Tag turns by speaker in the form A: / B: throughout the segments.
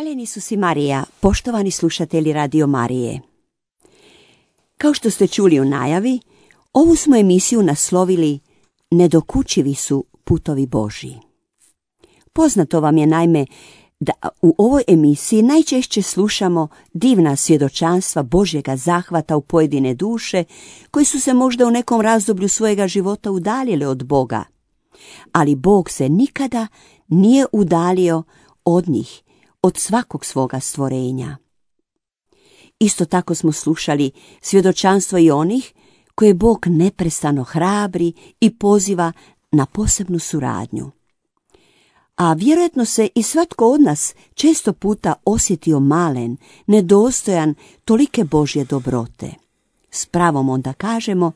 A: Hvaljeni su si Marija, poštovani slušatelji Radio Marije. Kao što ste čuli u najavi, ovu smo emisiju naslovili Nedokučivi su putovi Božji. Poznato vam je naime da u ovoj emisiji najčešće slušamo divna svjedočanstva Božjega zahvata u pojedine duše koji su se možda u nekom razdoblju svojega života udaljile od Boga. Ali Bog se nikada nije udalio od njih, od svakog svoga stvorenja. Isto tako smo slušali svjedočanstvo i onih koje Bog neprestano hrabri i poziva na posebnu suradnju. A vjerojatno se i svatko od nas često puta osjetio malen, nedostojan tolike Božje dobrote. S pravom onda kažemo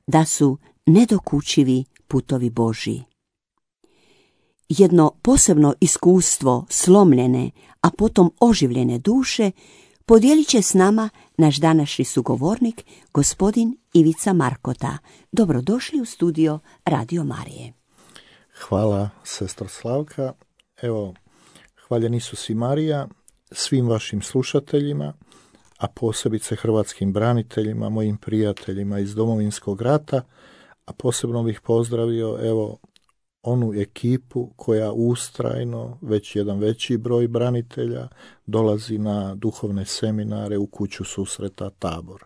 A: da su nedokučivi putovi Božji. Jedno posebno iskustvo slomljene, a potom oživljene duše podijelit će s nama naš današnji sugovornik, gospodin Ivica Markota. Dobrodošli u studio Radio Marije.
B: Hvala, sestra Slavka. Evo, hvaljeni su si Marija, svim vašim slušateljima, a posebice hrvatskim braniteljima, mojim prijateljima iz Domovinskog rata, a posebno bih pozdravio, evo, onu ekipu koja ustrajno, već jedan veći broj branitelja, dolazi na duhovne seminare u kuću susreta Tabor.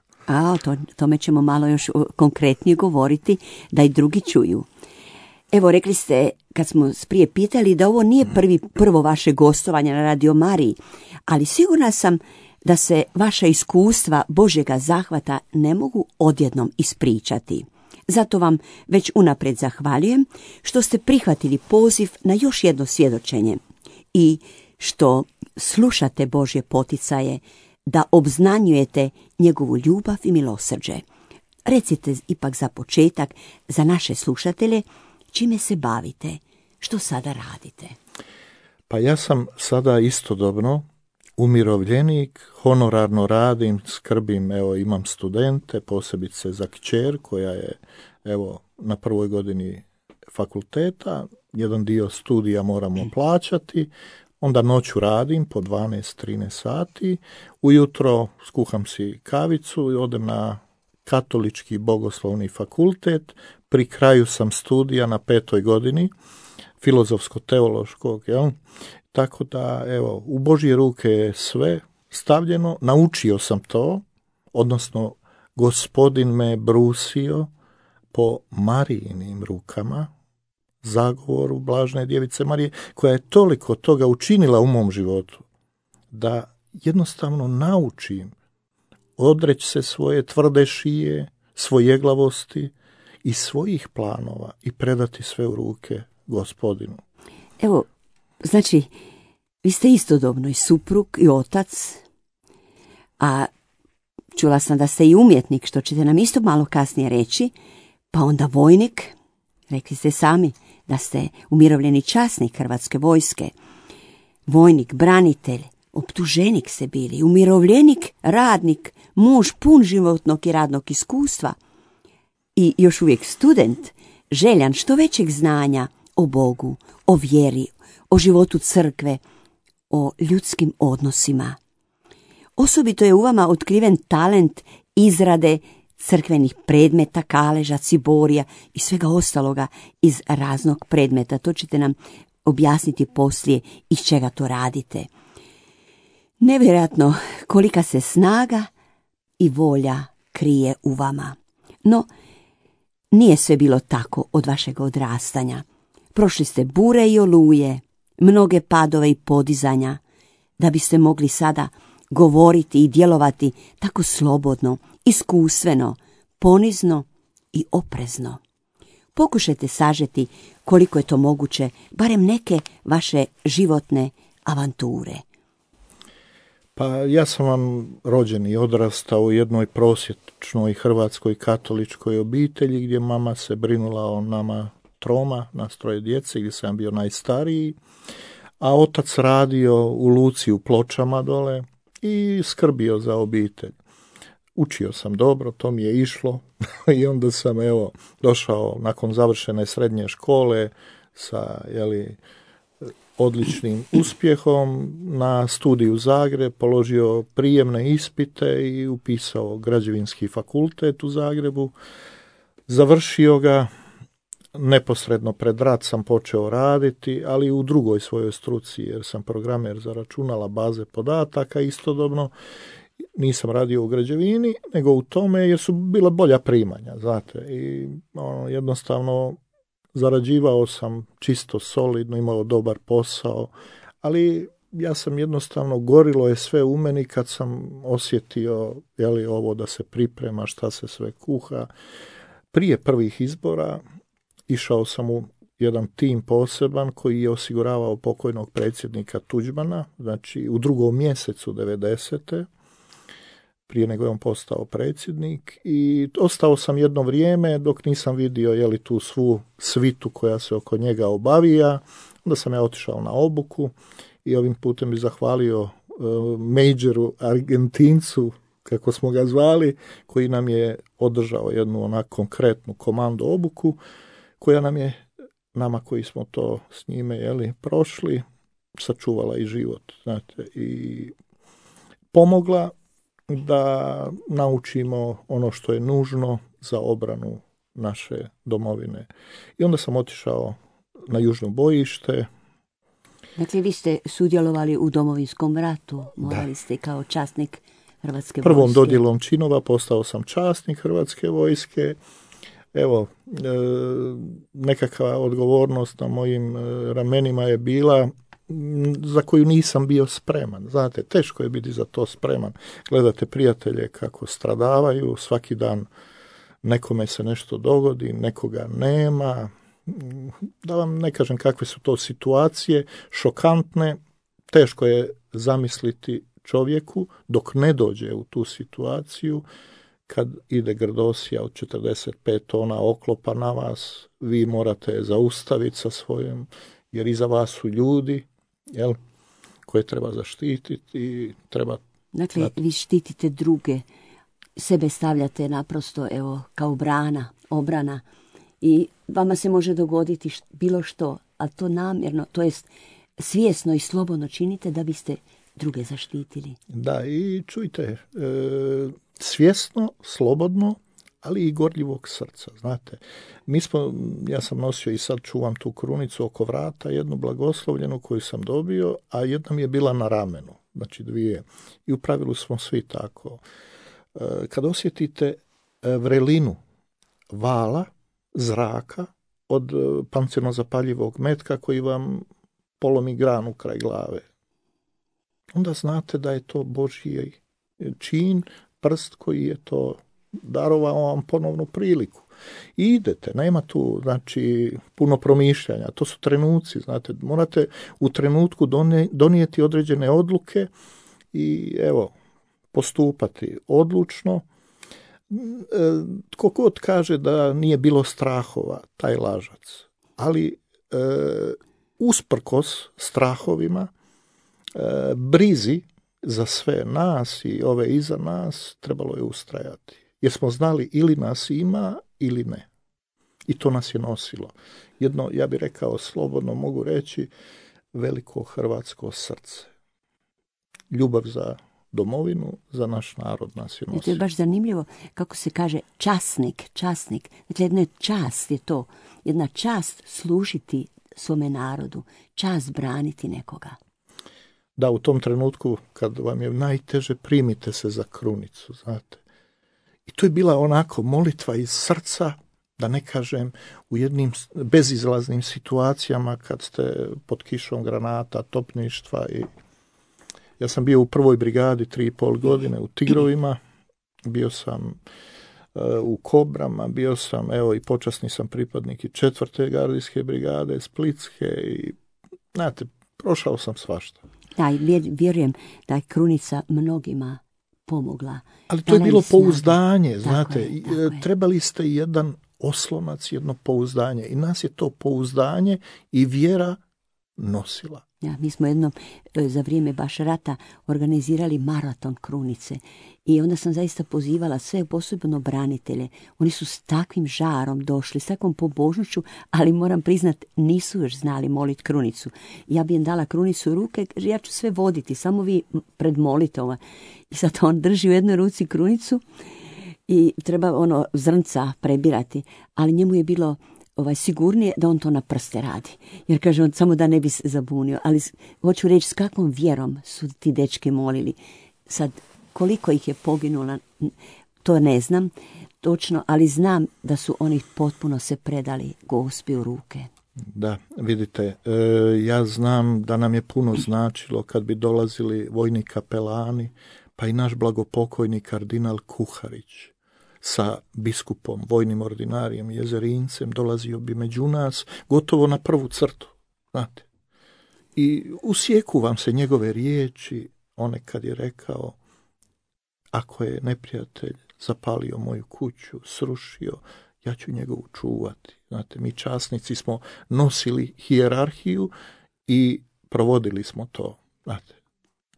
A: Tome ćemo malo još konkretnije govoriti, da i drugi čuju. Evo, rekli ste, kad smo prije pitali, da ovo nije prvo vaše gostovanje na Radio Mariji, ali sigurna sam da se vaša iskustva Božjega zahvata ne mogu odjednom ispričati. Zato vam već unaprijed zahvaljujem što ste prihvatili poziv na još jedno svjedočenje i što slušate Božje poticaje da obznanjujete njegovu ljubav i milosrđe. Recite ipak za početak za naše slušatelje čime se bavite, što sada radite.
B: Pa ja sam sada istodobno umirovljenik, honorarno radim, skrbim, evo imam studente, posebice za kćer koja je evo na prvoj godini fakulteta, jedan dio studija moramo plaćati, onda noću radim po 12-13 sati, ujutro skuham si kavicu i odem na katolički bogoslovni fakultet, pri kraju sam studija na 5. godini filozofsko-teološkog, tako da, evo, u Božje ruke je sve stavljeno, naučio sam to, odnosno Gospodin me brusio po Marijinim rukama, zagovoru Blažene Djevice Marije, koja je toliko toga učinila u mom životu, da jednostavno naučim odreći se svoje tvrde šije, svojeglavosti i svojih planova i predati sve u ruke Gospodinu.
A: Evo, znači, vi ste istodobno i suprug i otac, a čula sam da ste i umjetnik, što ćete nam isto malo kasnije reći, pa onda vojnik, rekli ste sami da ste umirovljeni časnik Hrvatske vojske, vojnik, branitelj, optuženik ste bili, umirovljenik, radnik, muž pun životnog i radnog iskustva i još uvijek student, željan što većeg znanja o Bogu, o vjeri, o životu crkve, o ljudskim odnosima. Osobito je u vama otkriven talent izrade crkvenih predmeta, kaleža, ciborija i svega ostaloga iz raznog predmeta. To ćete nam objasniti poslije iz čega to radite. Nevjerojatno kolika se snaga i volja krije u vama. No, nije sve bilo tako od vašeg odrastanja. Prošli ste bure i oluje, mnoge padove i podizanja, da biste mogli sada govoriti i djelovati tako slobodno, iskustveno, ponizno i oprezno. Pokušajte sažeti koliko je to moguće, barem neke vaše životne avanture.
B: Pa ja sam vam rođen i odrastao u jednoj prosječnoj hrvatskoj katoličkoj obitelji gdje mama se brinula o nama troma, nas troje djece, gdje sam bio najstariji, a otac radio u luci u Pločama dole i skrbio za obitelj. Učio sam dobro, to mi je išlo i onda sam došao nakon završene srednje škole sa odličnim uspjehom na studiju Zagreb, položio prijemne ispite i upisao građevinski fakultet u Zagrebu. Završio ga, neposredno pred rat sam počeo raditi, ali u drugoj svojoj struci, jer sam programer za računala, baze podataka, istodobno nisam radio u građevini, nego u tome jer su bila bolja primanja, znate, i jednostavno zarađivao sam čisto solidno, imao dobar posao, ali ja sam jednostavno, gorilo je sve u meni kad sam osjetio ovo da se priprema, šta se sve kuha. Prije prvih izbora išao sam u jedan tim poseban koji je osiguravao pokojnog predsjednika Tuđmana, znači u 2. mjesecu 90. prije nego je on postao predsjednik, i ostao sam jedno vrijeme dok nisam vidio tu svu svitu koja se oko njega obavija. Onda sam ja otišao na obuku i ovim putem bi zahvalio Majoru Argentincu, kako smo ga zvali, koji nam je održao jednu onako konkretnu komando obuku, koja nam je, nama koji smo to s njime prošli, sačuvala i život, znate, i pomogla da naučimo ono što je nužno za obranu naše domovine. I onda sam otišao na južno bojište.
A: Dakle, vi ste sudjelovali u Domovinskom ratu, morali ste kao časnik Hrvatske vojske.
B: Prvom dodjelom činova postao sam časnik Hrvatske vojske. Evo, nekakva odgovornost na mojim ramenima je bila za koju nisam bio spreman. Znate, teško je biti za to spreman. Gledate prijatelje kako stradavaju, svaki dan nekome se nešto dogodi, nekoga nema. Da vam ne kažem kakve su to situacije, šokantne, teško je zamisliti čovjeku dok ne dođe u tu situaciju, kad ide grdosija od 45 tona oklopa na vas, vi morate zaustaviti sa svojim, jer iza vas su ljudi, koje treba zaštititi i treba...
A: Dakle, vi štitite druge, sebe stavljate naprosto kao obrana, i vama se može dogoditi bilo što, a to namjerno, to jest svjesno i slobodno činite da biste druge zaštitili.
B: Da, i čujte, svjesno, slobodno, ali i gorljivog srca, znate. Ja sam nosio i sad čuvam tu krunicu oko vrata, jednu blagoslovljenu koju sam dobio, a jedna mi je bila na ramenu, znači 2. I u pravilu smo svi tako. Kad osjetite vrelinu vala, zraka, od pancirno zapaljivog metka koji vam polomi granu kraj glave, onda znate da je to Božji čin, prst koji je to darovao vam ponovnu priliku. I idete, nema tu, znači, puno promišljanja, to su trenuci, znate, morate u trenutku donijeti određene odluke i postupati odlučno. Tko god kaže da nije bilo strahova, taj lažac. Ali usprkos strahovima, brizi za sve nas i ove iza nas, trebalo je ustrajati. Jer smo znali ili nas ima ili ne. I to nas je nosilo. Jedno, ja bih rekao, slobodno mogu reći, veliko hrvatsko srce. Ljubav za domovinu, za naš narod nas je nosilo.
A: To je baš zanimljivo kako se kaže časnik. Dakle, jedna čast je to. Jedna čast služiti svome narodu. Čast braniti nekoga.
B: Da, u tom trenutku kad vam je najteže, primite se za krunicu, znate. I to je bila onako molitva iz srca, da ne kažem u jednim bezizlaznim situacijama kad ste pod kišom granata, topništva. I ja sam bio u 1. brigadi 3,5 godine u Tigrovima, bio sam u Kobrama, bio sam, i počasni sam pripadnik i 4. gardijske brigade, Splitske, i znate, prošao sam svašta.
A: Da, vjerujem da je krunica mnogima pomogla.
B: Ali to je bilo pouzdanje, znate, trebali ste jedan oslonac, jedno pouzdanje, i nas je to pouzdanje i vjera nosila.
A: Ja, mi smo jednom za vrijeme baš rata organizirali maraton krunice i onda sam zaista pozivala sve, posebno branitelje. Oni su s takvim žarom došli, s takvom pobožnošću, ali moram priznat, nisu još znali moliti krunicu. Ja bi im dala krunicu u ruke, ja ću sve voditi, samo vi predmolite ovo. I sad on drži u jednoj ruci krunicu i treba zrnca prebirati, ali njemu je bilo sigurnije da on to na prste radi. Jer kaže on samo da ne bi se zabunio. Ali hoću reći s kakvom vjerom su ti dečki molili. Sad, koliko ih je poginulo, to ne znam točno, ali znam da su oni potpuno se predali Gospi u ruke.
B: Da, vidite, ja znam da nam je puno značilo kad bi dolazili vojni kapelani, pa i naš blagopokojni kardinal Kuharić sa biskupom, vojnim ordinarijem Jezerincem, dolazio bi među nas gotovo na prvu crtu, znate. I usjeku vam se njegove riječi, one kad je rekao, ako je neprijatelj zapalio moju kuću, srušio, ja ću njegovu čuvati. Znate, mi časnici smo nosili hijerarhiju i provodili smo to, znate.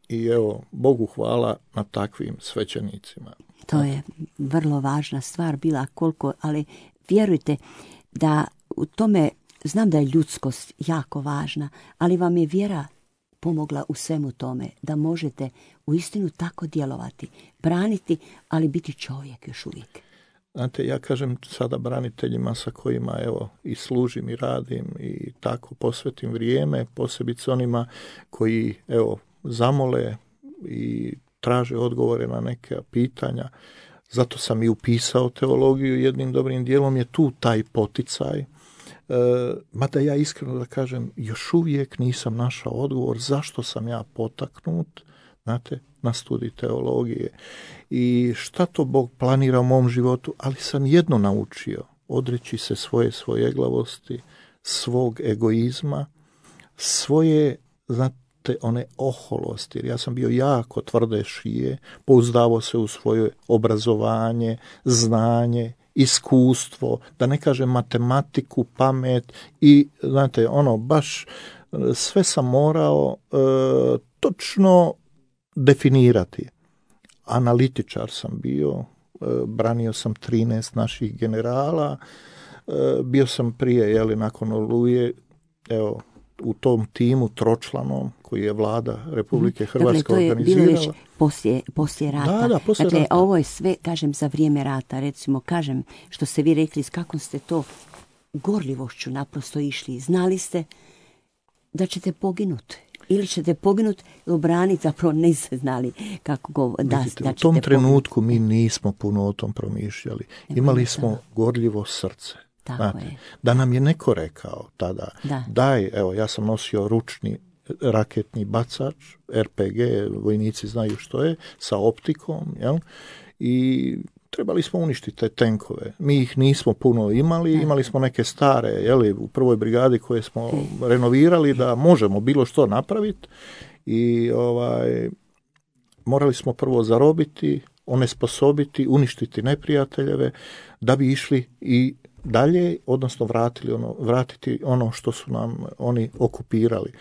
B: I evo, Bogu hvala na takvim svećenicima.
A: To je vrlo važna stvar bila koliko, ali vjerujte da u tome, znam da je ljudskost jako važna, ali vam je vjera pomogla u svemu tome, da možete uistinu tako djelovati, braniti, ali biti čovjek još uvijek.
B: Znate, ja kažem sada braniteljima sa kojima evo i služim i radim i tako posvetim vrijeme, posebice onima koji evo zamole i traže odgovore na neke pitanja. Zato sam i upisao teologiju, jednim dobrim dijelom je tu taj poticaj. Mada ja iskreno da kažem, još uvijek nisam našao odgovor zašto sam ja potaknut, znate, na studij teologije. I šta to Bog planira u mom životu, ali sam jedno naučio, odreći se svoje svojeglavosti, svog egoizma, svoje, znate, one oholosti, jer ja sam bio jako tvrde šije, pouzdavao se u svoje obrazovanje, znanje, iskustvo, da ne kažem matematiku, pamet i, znate, baš sve sam morao točno definirati. Analitičar sam bio, branio sam 13 naših generala, bio sam prije, nakon Oluje, evo, u tom timu tročlanom koji je vlada Republike Hrvatske organizirala.
A: Dakle, to je bilo već poslije rata.
B: Da, poslije rata.
A: Ovo je sve, kažem, za vrijeme rata. Recimo, kažem, što ste vi rekli, s kakvom ste to gorljivošću naprosto išli. Znali ste da ćete poginuti. Ili ćete poginuti i obraniti, zapravo niste znali kako da ćete
B: u tom trenutku mi nismo puno o tom promišljali. Imali smo gorljivo srce. Znate, da nam je neko rekao tada, daj, evo, ja sam nosio ručni raketni bacač, RPG, vojnici znaju što je, sa optikom, jel? I trebali smo uništiti te tenkove. Mi ih nismo puno imali smo neke stare, jel, u prvoj brigadi koje smo renovirali da možemo bilo što napraviti i morali smo prvo zarobiti, onesposobiti, uništiti neprijateljeve da bi išli i dalje, odnosno vratiti ono što su nam oni okupirali.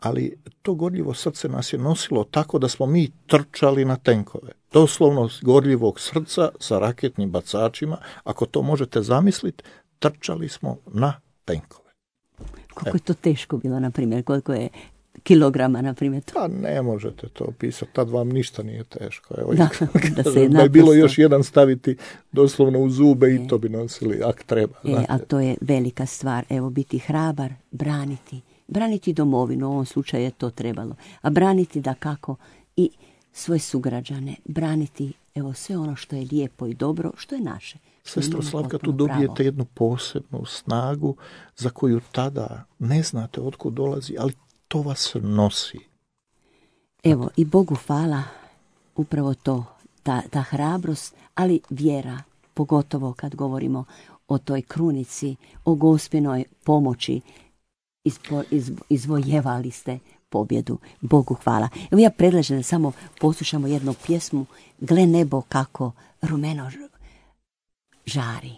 B: Ali to gorljivo srce nas je nosilo tako da smo mi trčali na tenkove. Doslovno gorljivog srca sa raketnim bacačima, ako to možete zamisliti, trčali smo na tenkove.
A: Koliko je to teško bilo, na primjer, koliko je kilograma, na primjer?
B: Pa ne možete to opisati, tad vam ništa nije teško. Evo,
A: da
B: je bilo još jedan staviti doslovno u zube i to bi nosili, ako treba.
A: A to je velika stvar, evo, biti hrabar, braniti domovinu, u ovom slučaju je to trebalo, a braniti dakako i svoje sugrađane, braniti evo sve ono što je lijepo i dobro, što je naše.
B: Sestro Slavka, tu dobijete jednu posebnu snagu za koju tada ne znate otkud dolazi, ali to vas nosi.
A: Evo, i Bogu hvala, upravo to, ta hrabrost, ali vjera, pogotovo kad govorimo o toj krunici, o Gospinoj pomoći, izvojevali ste pobjedu. Bogu hvala. Evo, ja predlažem da samo poslušamo jednu pjesmu, Gle nebo kako rumeno žari.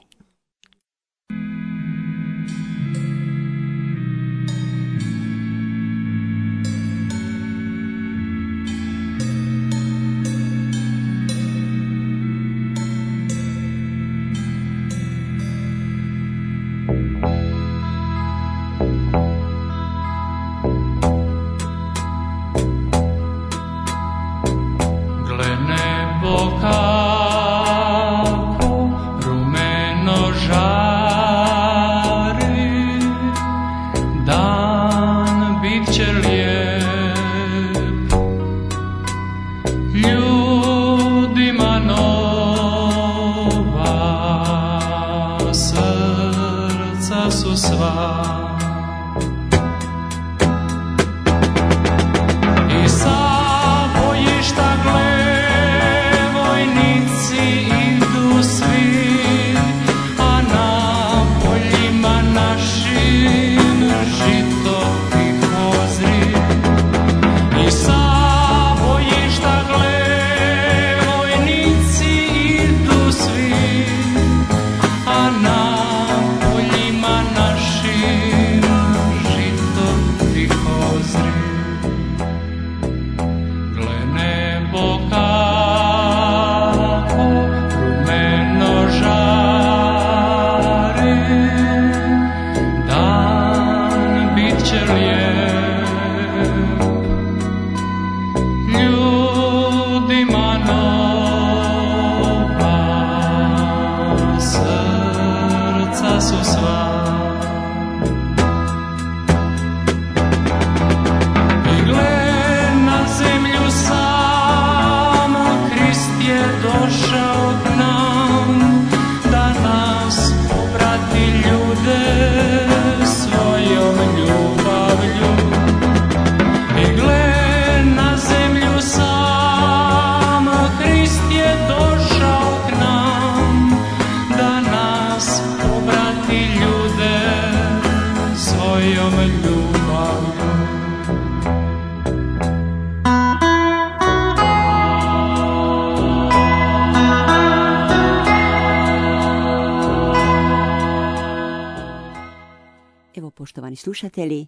A: poštovani slušatelji.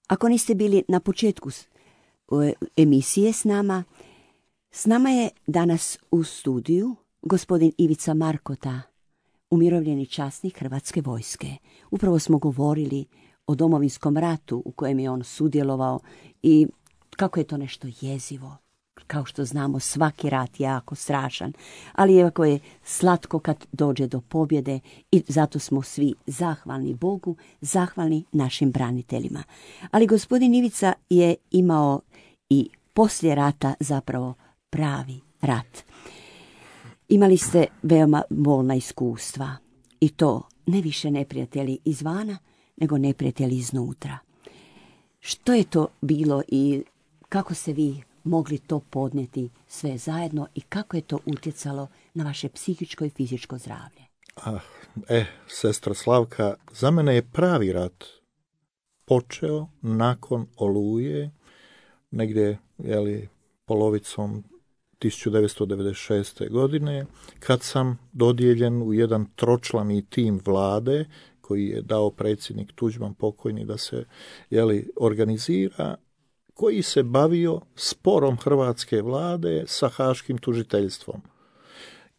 A: Ako niste bili na početku emisije s nama je danas u studiju gospodin Ivica Markota, umirovljeni časnik Hrvatske vojske. Upravo smo govorili o Domovinskom ratu u kojem je on sudjelovao i kako je to nešto jezivo. Kao što znamo, svaki rat je jako strašan, ali jako je slatko kad dođe do pobjede i zato smo svi zahvalni Bogu, zahvalni našim braniteljima. Ali gospodin Ivica je imao i poslije rata zapravo pravi rat. Imali ste veoma bolna iskustva i to ne više neprijatelji izvana, nego neprijatelji iznutra. Što je to bilo i kako ste vi mogli to podnijeti sve zajedno i kako je to utjecalo na vaše psihičko i fizičko zdravlje?
B: Sestra Slavka, za mene je pravi rat počeo nakon Oluje, negdje polovicom 1996. godine, kad sam dodijeljen u jedan tročlani tim vlade koji je dao predsjednik Tuđman pokojni da se organizira, koji se bavio sporom hrvatske vlade sa Haškim tužiteljstvom.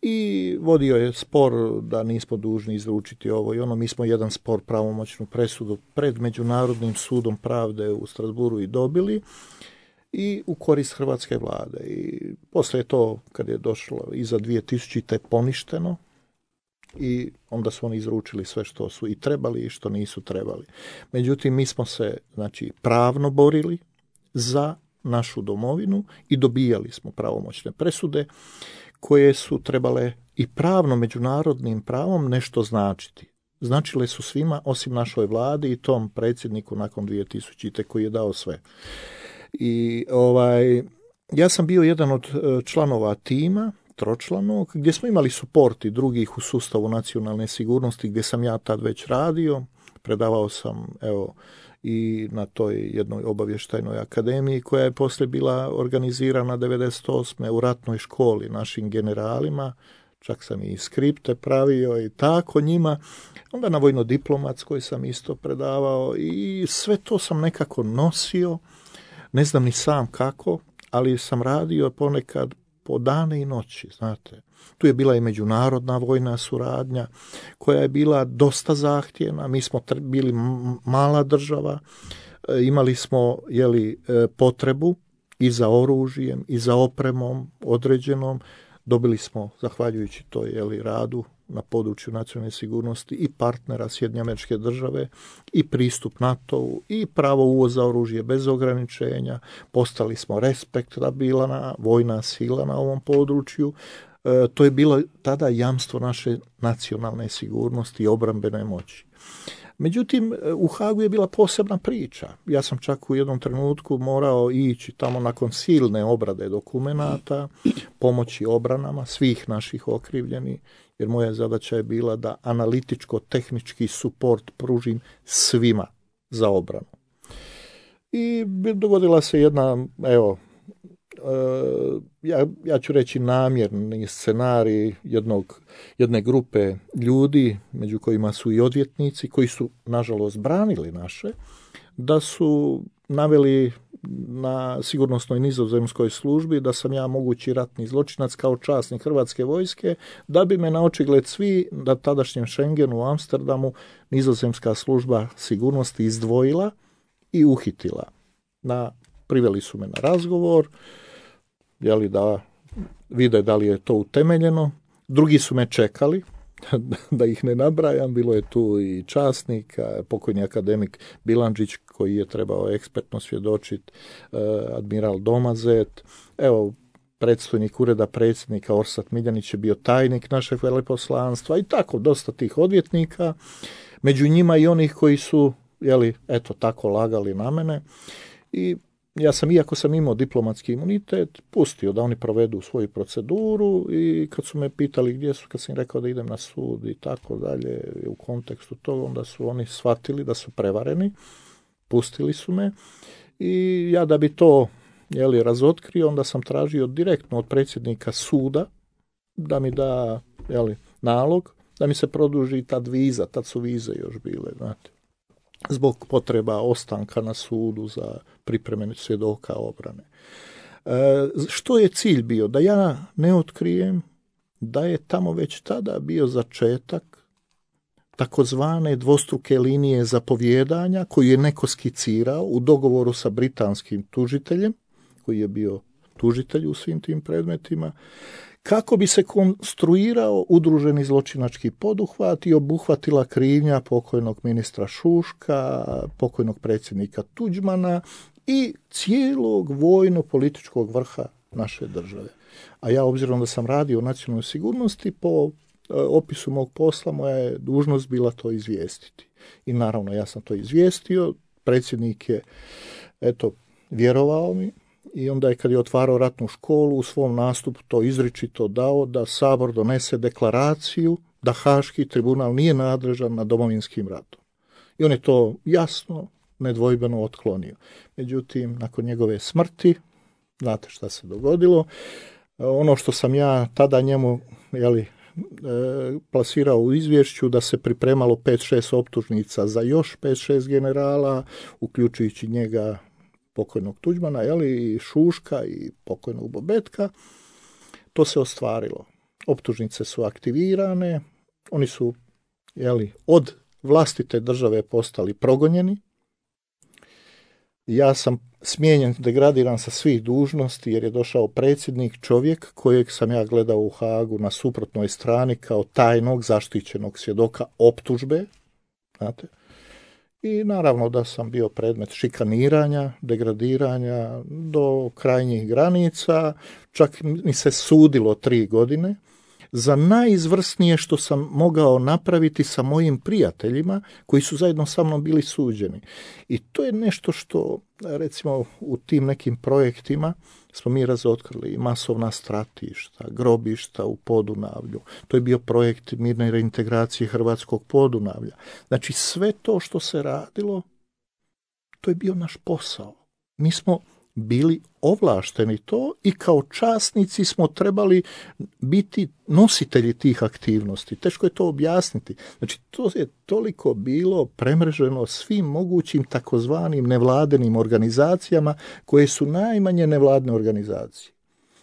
B: I vodio je spor da nismo dužni izručiti ovo i ono. Mi smo jedan spor, pravomoćnu presudu pred Međunarodnim sudom pravde u Strasburu i dobili i u korist hrvatske vlade. I poslije to, kad je došlo iza 2000. poništeno, i onda su oni izručili sve što su i trebali i što nisu trebali. Međutim, mi smo se pravno borili za našu domovinu i dobijali smo pravomoćne presude koje su trebale i pravno međunarodnim pravom nešto značiti. Značile su svima osim našoj vladi i tom predsjedniku nakon 2000. koji je dao sve. I ja sam bio jedan od članova tima tročlanog, gdje smo imali suport i drugih u sustavu nacionalne sigurnosti, gdje sam ja tad već radio. Predavao sam i na toj jednoj obavještajnoj akademiji koja je poslije bila organizirana 98. u ratnoj školi našim generalima. Čak sam i skripte pravio i tako njima. Onda na vojno-diplomatskoj sam isto predavao i sve to sam nekako nosio. Ne znam ni sam kako, ali sam radio ponekad po dane i noći, znate. Tu je bila i međunarodna vojna suradnja koja je bila dosta zahtjevna. Mi smo bili mala država, imali smo potrebu i za oružjem i za opremom određenom. Dobili smo, zahvaljujući toj radu na području nacionalne sigurnosti, i partnera Sjedinjenih Američke Države i pristup NATO-u i pravo uvoza oružja bez ograničenja. Postali smo respektabilna vojna sila na ovom području. To je bilo tada jamstvo naše nacionalne sigurnosti i obrambene moći. Međutim, u Hagu je bila posebna priča. Ja sam čak u jednom trenutku morao ići tamo nakon silne obrade dokumenata, pomoći obranama svih naših okrivljenih, jer moja zadaća je bila da analitičko-tehnički suport pružim svima za obranu. I dogodila se jedna, ja ću reći namjerni scenarij jedne grupe ljudi, među kojima su i odvjetnici, koji su nažalost branili naše, da su naveli na sigurnosnoj nizozemskoj službi da sam ja mogući ratni zločinac kao časnik Hrvatske vojske, da bi me na očigled svi na tadašnjem Schengenu u Amsterdamu nizozemska služba sigurnosti izdvojila i uhitila. Priveli su me na razgovor, da vide da li je to utemeljeno. Drugi su me čekali, da ih ne nabrajam, bilo je tu i časnik, pokojni akademik Bilandžić koji je trebao ekspertno svjedočiti, admiral Domazet, predstojnik ureda predsjednika Orsat Miljanić je bio tajnik našeg veleposlanstva i tako dosta tih odvjetnika, među njima i onih koji su tako lagali na mene. I ja sam, iako sam imao diplomatski imunitet, pustio da oni provedu svoju proceduru i kad su me pitali gdje su, kad sam rekao da idem na sud i tako dalje, u kontekstu toga, onda su oni shvatili da su prevareni, pustili su me i ja da bi to razotkrio, onda sam tražio direktno od predsjednika suda da mi da nalog, da mi se produži tad viza, tad su vize još bile, znate. zbog potreba ostanka na sudu za pripreme svjedoka obrane. Što je cilj bio? Da ja ne otkrijem da je tamo već tada bio začetak takozvane dvostruke linije zapovjedanja koju je neko skicirao u dogovoru sa britanskim tužiteljem, koji je bio tužitelj u svim tim predmetima, kako bi se konstruirao udruženi zločinački poduhvat i obuhvatila krivnja pokojnog ministra Šuška, pokojnog predsjednika Tuđmana i cijelog vojno-političkog vrha naše države. A ja, obzirom da sam radio u nacionalnoj sigurnosti, po opisu mog posla moja je dužnost bila to izvijestiti. I naravno ja sam to izvijestio, predsjednik je vjerovao mi i onda je kad je otvarao ratnu školu u svom nastupu to izričito dao da Sabor donese deklaraciju da Haški tribunal nije nadležan nad Domovinskim ratom. I on je to jasno, nedvojbeno otklonio. Međutim, nakon njegove smrti, znate šta se dogodilo, ono što sam ja tada njemu plasirao u izvješću da se pripremalo 5-6 optužnica za još 5-6 generala, uključujući njega, pokojnog Tuđmana, i Šuška i pokojnog Bobetka, to se ostvarilo. Optužnice su aktivirane, oni su od vlastite države postali progonjeni. Ja sam smijenjen, degradiran sa svih dužnosti jer je došao predsjednik, čovjek kojeg sam ja gledao u Hagu na suprotnoj strani kao tajnog zaštićenog svjedoka optužbe, znate. I naravno da sam bio predmet šikaniranja, degradiranja do krajnjih granica, čak mi se sudilo 3 godine za najizvrsnije što sam mogao napraviti sa mojim prijateljima koji su zajedno sa mnom bili suđeni. I to je nešto što, recimo, u tim nekim projektima smo mi razotkrili masovna stratišta, grobišta u Podunavlju. To je bio projekt mirne reintegracije hrvatskog Podunavlja. Znači, sve to što se radilo, to je bio naš posao. Mi smo bili ovlašteni to i kao časnici smo trebali biti nositelji tih aktivnosti. Teško je to objasniti. Znači, to je toliko bilo premreženo svim mogućim takozvanim nevladenim organizacijama koje su najmanje nevladne organizacije.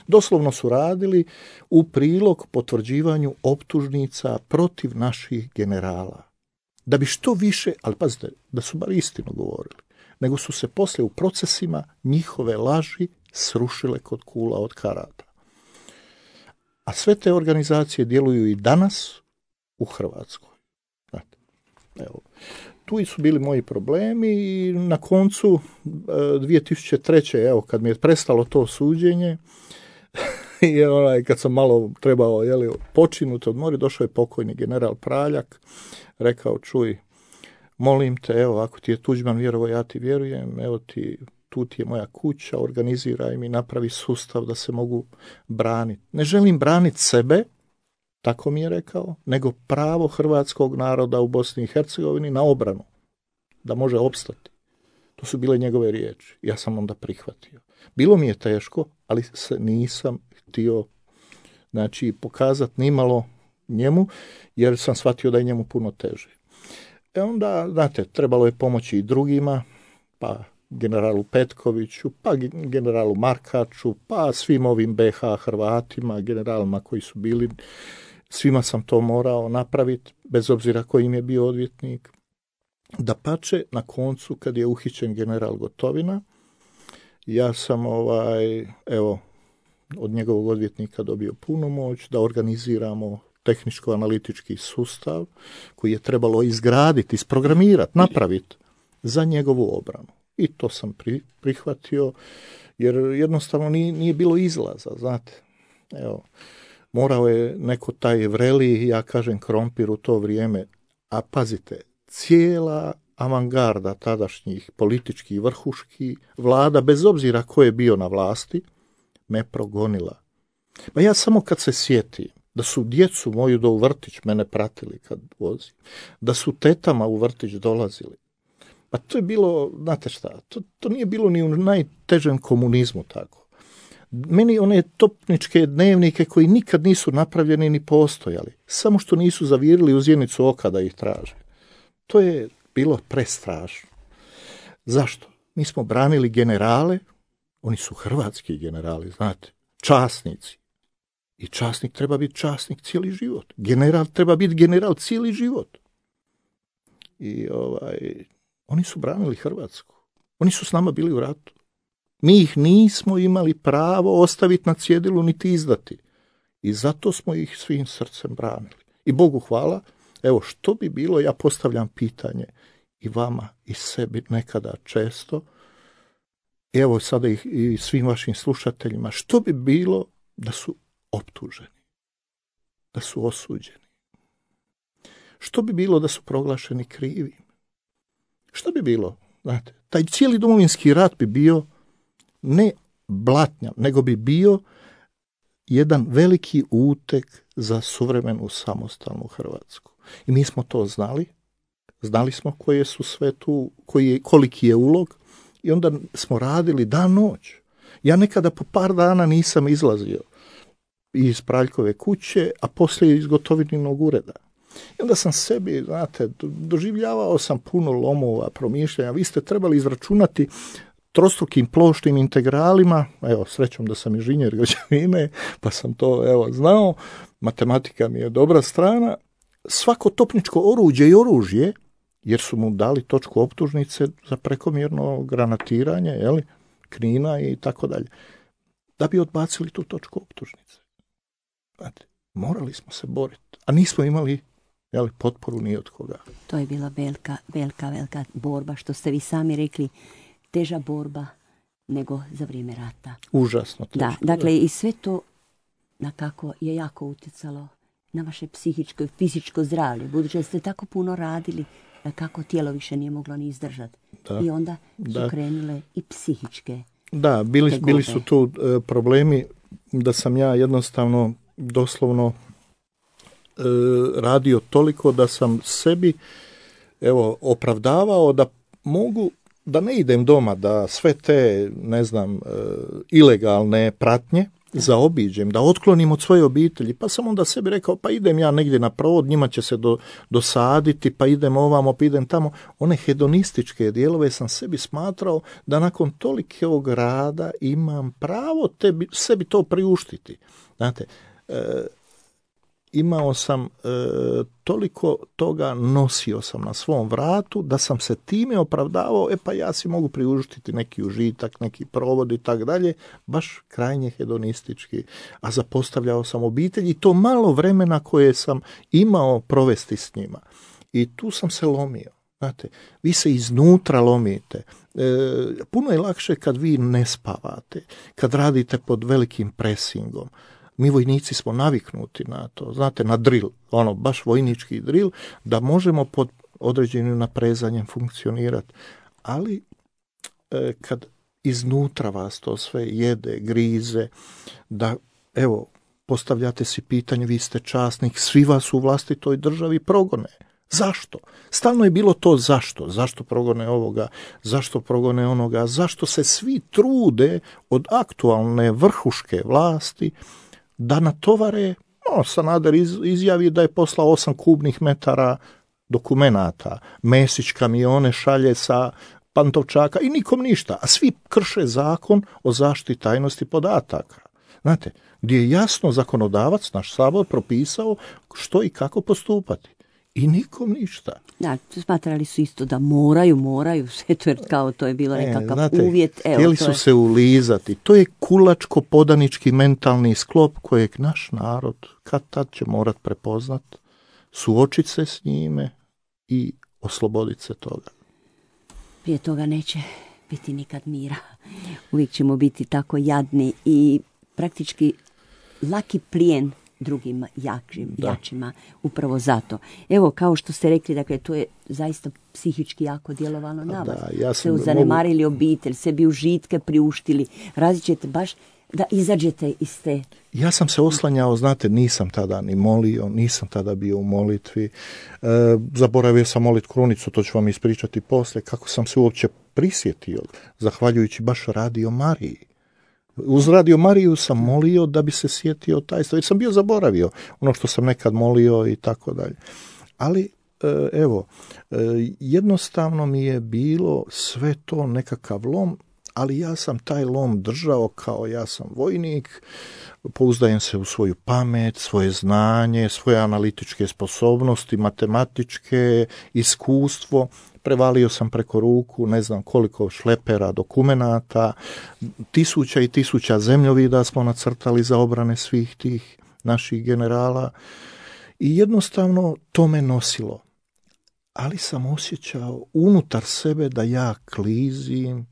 B: Doslovno su radili u prilog potvrđivanju optužnica protiv naših generala. Da bi što više, ali pazite, da su bar istinu govorili, nego su se poslije u procesima njihove laži srušile kod kula od karata. A sve te organizacije djeluju i danas u Hrvatskoj. Znate, evo, tu su bili moji problemi i na koncu 2003. Evo, kad mi je prestalo to suđenje i kad sam malo trebao počinuti, odmori, došao je pokojni general Praljak, rekao, čuj, molim te, evo, ako ti je Tuđman vjerovao, ja ti vjerujem, evo ti, tu ti je moja kuća, organiziraj mi, napravi sustav da se mogu braniti. Ne želim braniti sebe, tako mi je rekao, nego pravo hrvatskog naroda u Bosni i Hercegovini na obranu, da može opstati. To su bile njegove riječi. Ja sam onda prihvatio. Bilo mi je teško, ali se nisam htio pokazati nimalo njemu, jer sam shvatio da je njemu puno teže. Onda, znate, trebalo je pomoći i drugima, pa generalu Petkoviću, pa generalu Markaču, pa svim ovim BH Hrvatima, generalima koji su bili, svima sam to morao napraviti, bez obzira koji im je bio odvjetnik. Dapače, na koncu, kad je uhićen general Gotovina, ja sam od njegovog odvjetnika dobio punomoć da organiziramo tehničko-analitički sustav koji je trebalo izgraditi, isprogramirati, napraviti za njegovu obranu. I to sam prihvatio, jer jednostavno nije bilo izlaza, znate. Evo, morao je neko taj vreli, ja kažem, krompir u to vrijeme, a pazite, cijela avangarda tadašnjih političkih vrhuški vlada, bez obzira ko je bio na vlasti, me progonila. Pa ja samo kad se sjetim da su djecu moju u vrtić mene pratili kad vozim, da su tetama u vrtić dolazili, pa to je bilo, znate šta, to nije bilo ni u najtežem komunizmu tako. Meni one topničke dnevnike koji nikad nisu napravljeni ni postojali, samo što nisu zavirili u zjenicu oka da ih traže. To je bilo prestrašno. Zašto? Mi smo branili generale, oni su hrvatski generali, znate, časnici. I časnik treba biti časnik cijeli život. General treba biti general cijeli život. I oni su branili Hrvatsku. Oni su s nama bili u ratu. Mi ih nismo imali pravo ostaviti na cjedilu niti izdati. I zato smo ih svim srcem branili. I Bogu hvala, evo što bi bilo, ja postavljam pitanje i vama i sebi nekada često, evo sada i svim vašim slušateljima, što bi bilo da su optuženi, da su osuđeni? Što bi bilo da su proglašeni krivim? Što bi bilo? Znate, taj cijeli Domovinski rat bi bio ne blatnja, nego bi bio jedan veliki uteg za suvremenu samostalnu Hrvatsku. I mi smo to znali. Znali smo koje su sve tu, koliki je ulog, i onda smo radili dan noć. Ja nekada po par dana nisam izlazio iz Praljkove kuće, a poslije iz Gotovininog ureda. I onda sam sebi, znate, doživljavao sam puno lomova, promišljanja. Vi ste trebali izračunati trostrukim plošnim integralima, evo, srećom da sam inženjer građevine, pa sam to, evo, znao, matematika mi je dobra strana, svako topničko oruđe i oružje, jer su mu dali točku optužnice za prekomjerno granatiranje, jeli, Knina i tako dalje, da bi odbacili tu točku optužnice. Znate, morali smo se boriti, a nismo imali, jeli, potporu ni od koga.
A: To je bila velika borba, što ste vi sami rekli, teža borba nego za vrijeme rata.
B: Užasno teško.
A: Da, dakle, i sve to nakako je jako utjecalo na vaše psihičko i fizičko zdravlje, budući da ste tako puno radili, kako tijelo više nije moglo ni izdržati. Da. I onda su krenule i psihičke.
B: Da, bili su tu problemi da sam ja jednostavno doslovno radio toliko da sam sebi, evo, opravdavao da mogu, da ne idem doma, da sve te, ne znam, ilegalne pratnje zaobiđem, da otklonim od svoje obitelji, pa sam onda sebi rekao, pa idem ja negdje na provod, njima će se dosaditi, pa idem ovamo, pa idem tamo. One hedonističke dijelove sam sebi smatrao da nakon tolikog rada imam pravo sebi to priuštiti. Znate, imao sam toliko toga, nosio sam na svom vratu, da sam se time opravdavao, pa ja si mogu priuštiti neki užitak, neki provod i tak dalje, baš krajnje hedonistički, a zapostavljao sam obitelj i to malo vremena koje sam imao provesti s njima. I tu sam se lomio. Znate, vi se iznutra lomite. Puno je lakše kad vi ne spavate, kad radite pod velikim presingom. Mi vojnici smo naviknuti na to, znate, na drill, baš vojnički drill, da možemo pod određenim naprezanjem funkcionirati. Ali kad iznutra vas to sve jede, grize, da, evo, postavljate si pitanje, vi ste časnik, svi vas u vlastitoj državi progone. Zašto? Stalno je bilo to zašto. Zašto progone ovoga, zašto progone onoga, zašto se svi trude od aktualne vrhuške vlasti da natovare, Sanader izjavi da je poslao 8 kubnih metara dokumenata, Mesić kamione šalje sa Pantovčaka i nikom ništa, a svi krše zakon o zaštiti tajnosti podataka. Znate, gdje je jasno zakonodavac, naš Sabor, propisao što i kako postupati. I nikom ništa.
A: Da, smatrali su isto da moraju sve to, jer kao to je bilo nekakav uvjet.
B: Htjeli su se ulizati. To je kulačko-podanički mentalni sklop kojeg naš narod kad tad će morat prepoznat, suočit se s njime i osloboditi se toga.
A: Prije toga neće biti nikad mira. Uvijek ćemo biti tako jadni i praktički laki plijen drugim jačima, upravo zato. Evo, kao što ste rekli, dakle, to je zaista psihički jako djelovalo na vas. Ja se zanemarili obitelj, sebi užitke priuštili, različite baš da izađete iz te...
B: Ja sam se oslanjao, znate, nisam tada ni molio, nisam tada bio u molitvi, zaboravio sam molit krunicu, to ću vam ispričati poslije, kako sam se uopće prisjetio, zahvaljujući baš Radio Mariji. Uz Radio Mariju sam molio da bi se sjetio tajstva, jer sam bio zaboravio ono što sam nekad molio i tako dalje. Ali jednostavno mi je bilo sve to nekakav lom, ali ja sam taj lom držao kao ja sam vojnik, pouzdajem se u svoju pamet, svoje znanje, svoje analitičke sposobnosti, matematičke, iskustvo. Prevalio sam preko ruku, ne znam koliko šlepera, dokumenata, tisuća i tisuća zemljovida smo nacrtali za obrane svih tih naših generala i jednostavno to me nosilo. Ali sam osjećao unutar sebe da ja klizim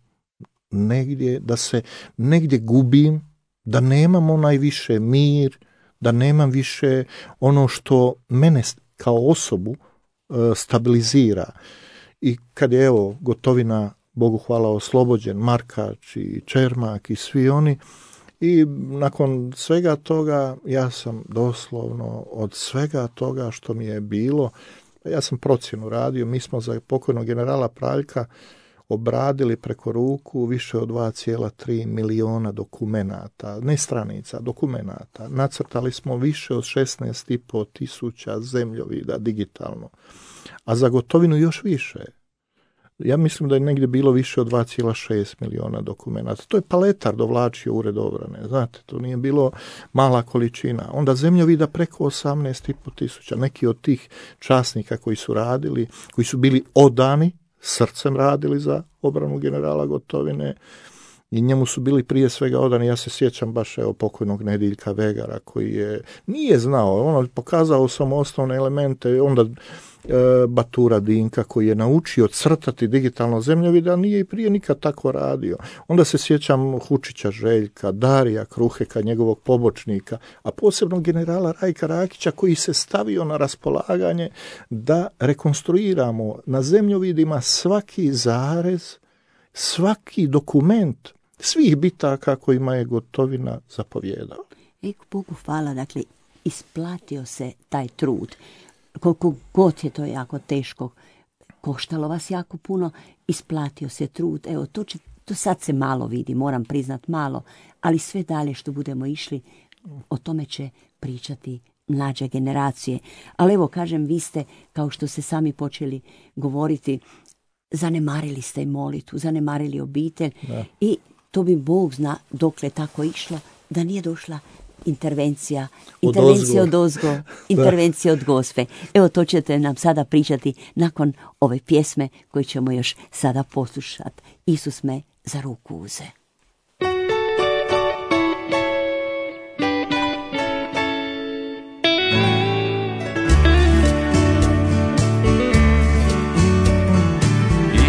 B: negdje, da se negdje gubim, da nemam onaj više mir, da nemam više ono što mene kao osobu stabilizira. I kad je Gotovina, Bogu hvala, oslobođen, Markač i Čermak i svi oni, i nakon svega toga ja sam doslovno od svega toga što mi je bilo, ja sam procjenu radio, mi smo za pokojnog generala Praljka obradili preko ruku više od 2,3 miliona dokumenata, ne stranica, dokumenata. Nacrtali smo više od 16,5 tisuća zemljovida digitalno, a za Gotovinu još više. Ja mislim da je negdje bilo više od 2,6 miliona dokumenata. To je Paletar dovlačio ured obrane, znate, to nije bilo mala količina. Onda zemljovida preko 18,5 tisuća. Neki od tih časnika koji su radili, koji su bili odani, srcem radili za obranu generala Gotovine i njemu su bili prije svega odani. Ja se sjećam baš pokojnog Nediljka Vegara koji nije znao, pokazao samo osnovne elemente, onda Batura Dinka koji je naučio crtati digitalno zemljovida, nije i prije nikad tako radio. Onda se sjećam Hučića Željka, Darija Kruheka, njegovog pobočnika, a posebno generala Rajka Rakića koji se stavio na raspolaganje da rekonstruiramo na zemljovidima svaki zarez, svaki dokument svih bitaka kojima je Gotovina zapovjedao.
A: Bogu hvala, dakle, isplatio se taj trud. Koliko god je to jako teško, koštalo vas jako puno, isplatio se trud. Evo, to sad se malo vidi, moram priznat malo, ali sve dalje što budemo išli, o tome će pričati mlađe generacije. Ali evo, kažem, vi ste, kao što ste sami počeli govoriti, zanemarili ste i molitvu, zanemarili obitelj. Da. I to bi Bog zna dokle tako išlo, da nije došla intervencija odozgo, intervencija od Gospe. Evo, to ćete nam sada pričati nakon ove pjesme koju ćemo još sada poslušati. Isus me za ruku uze.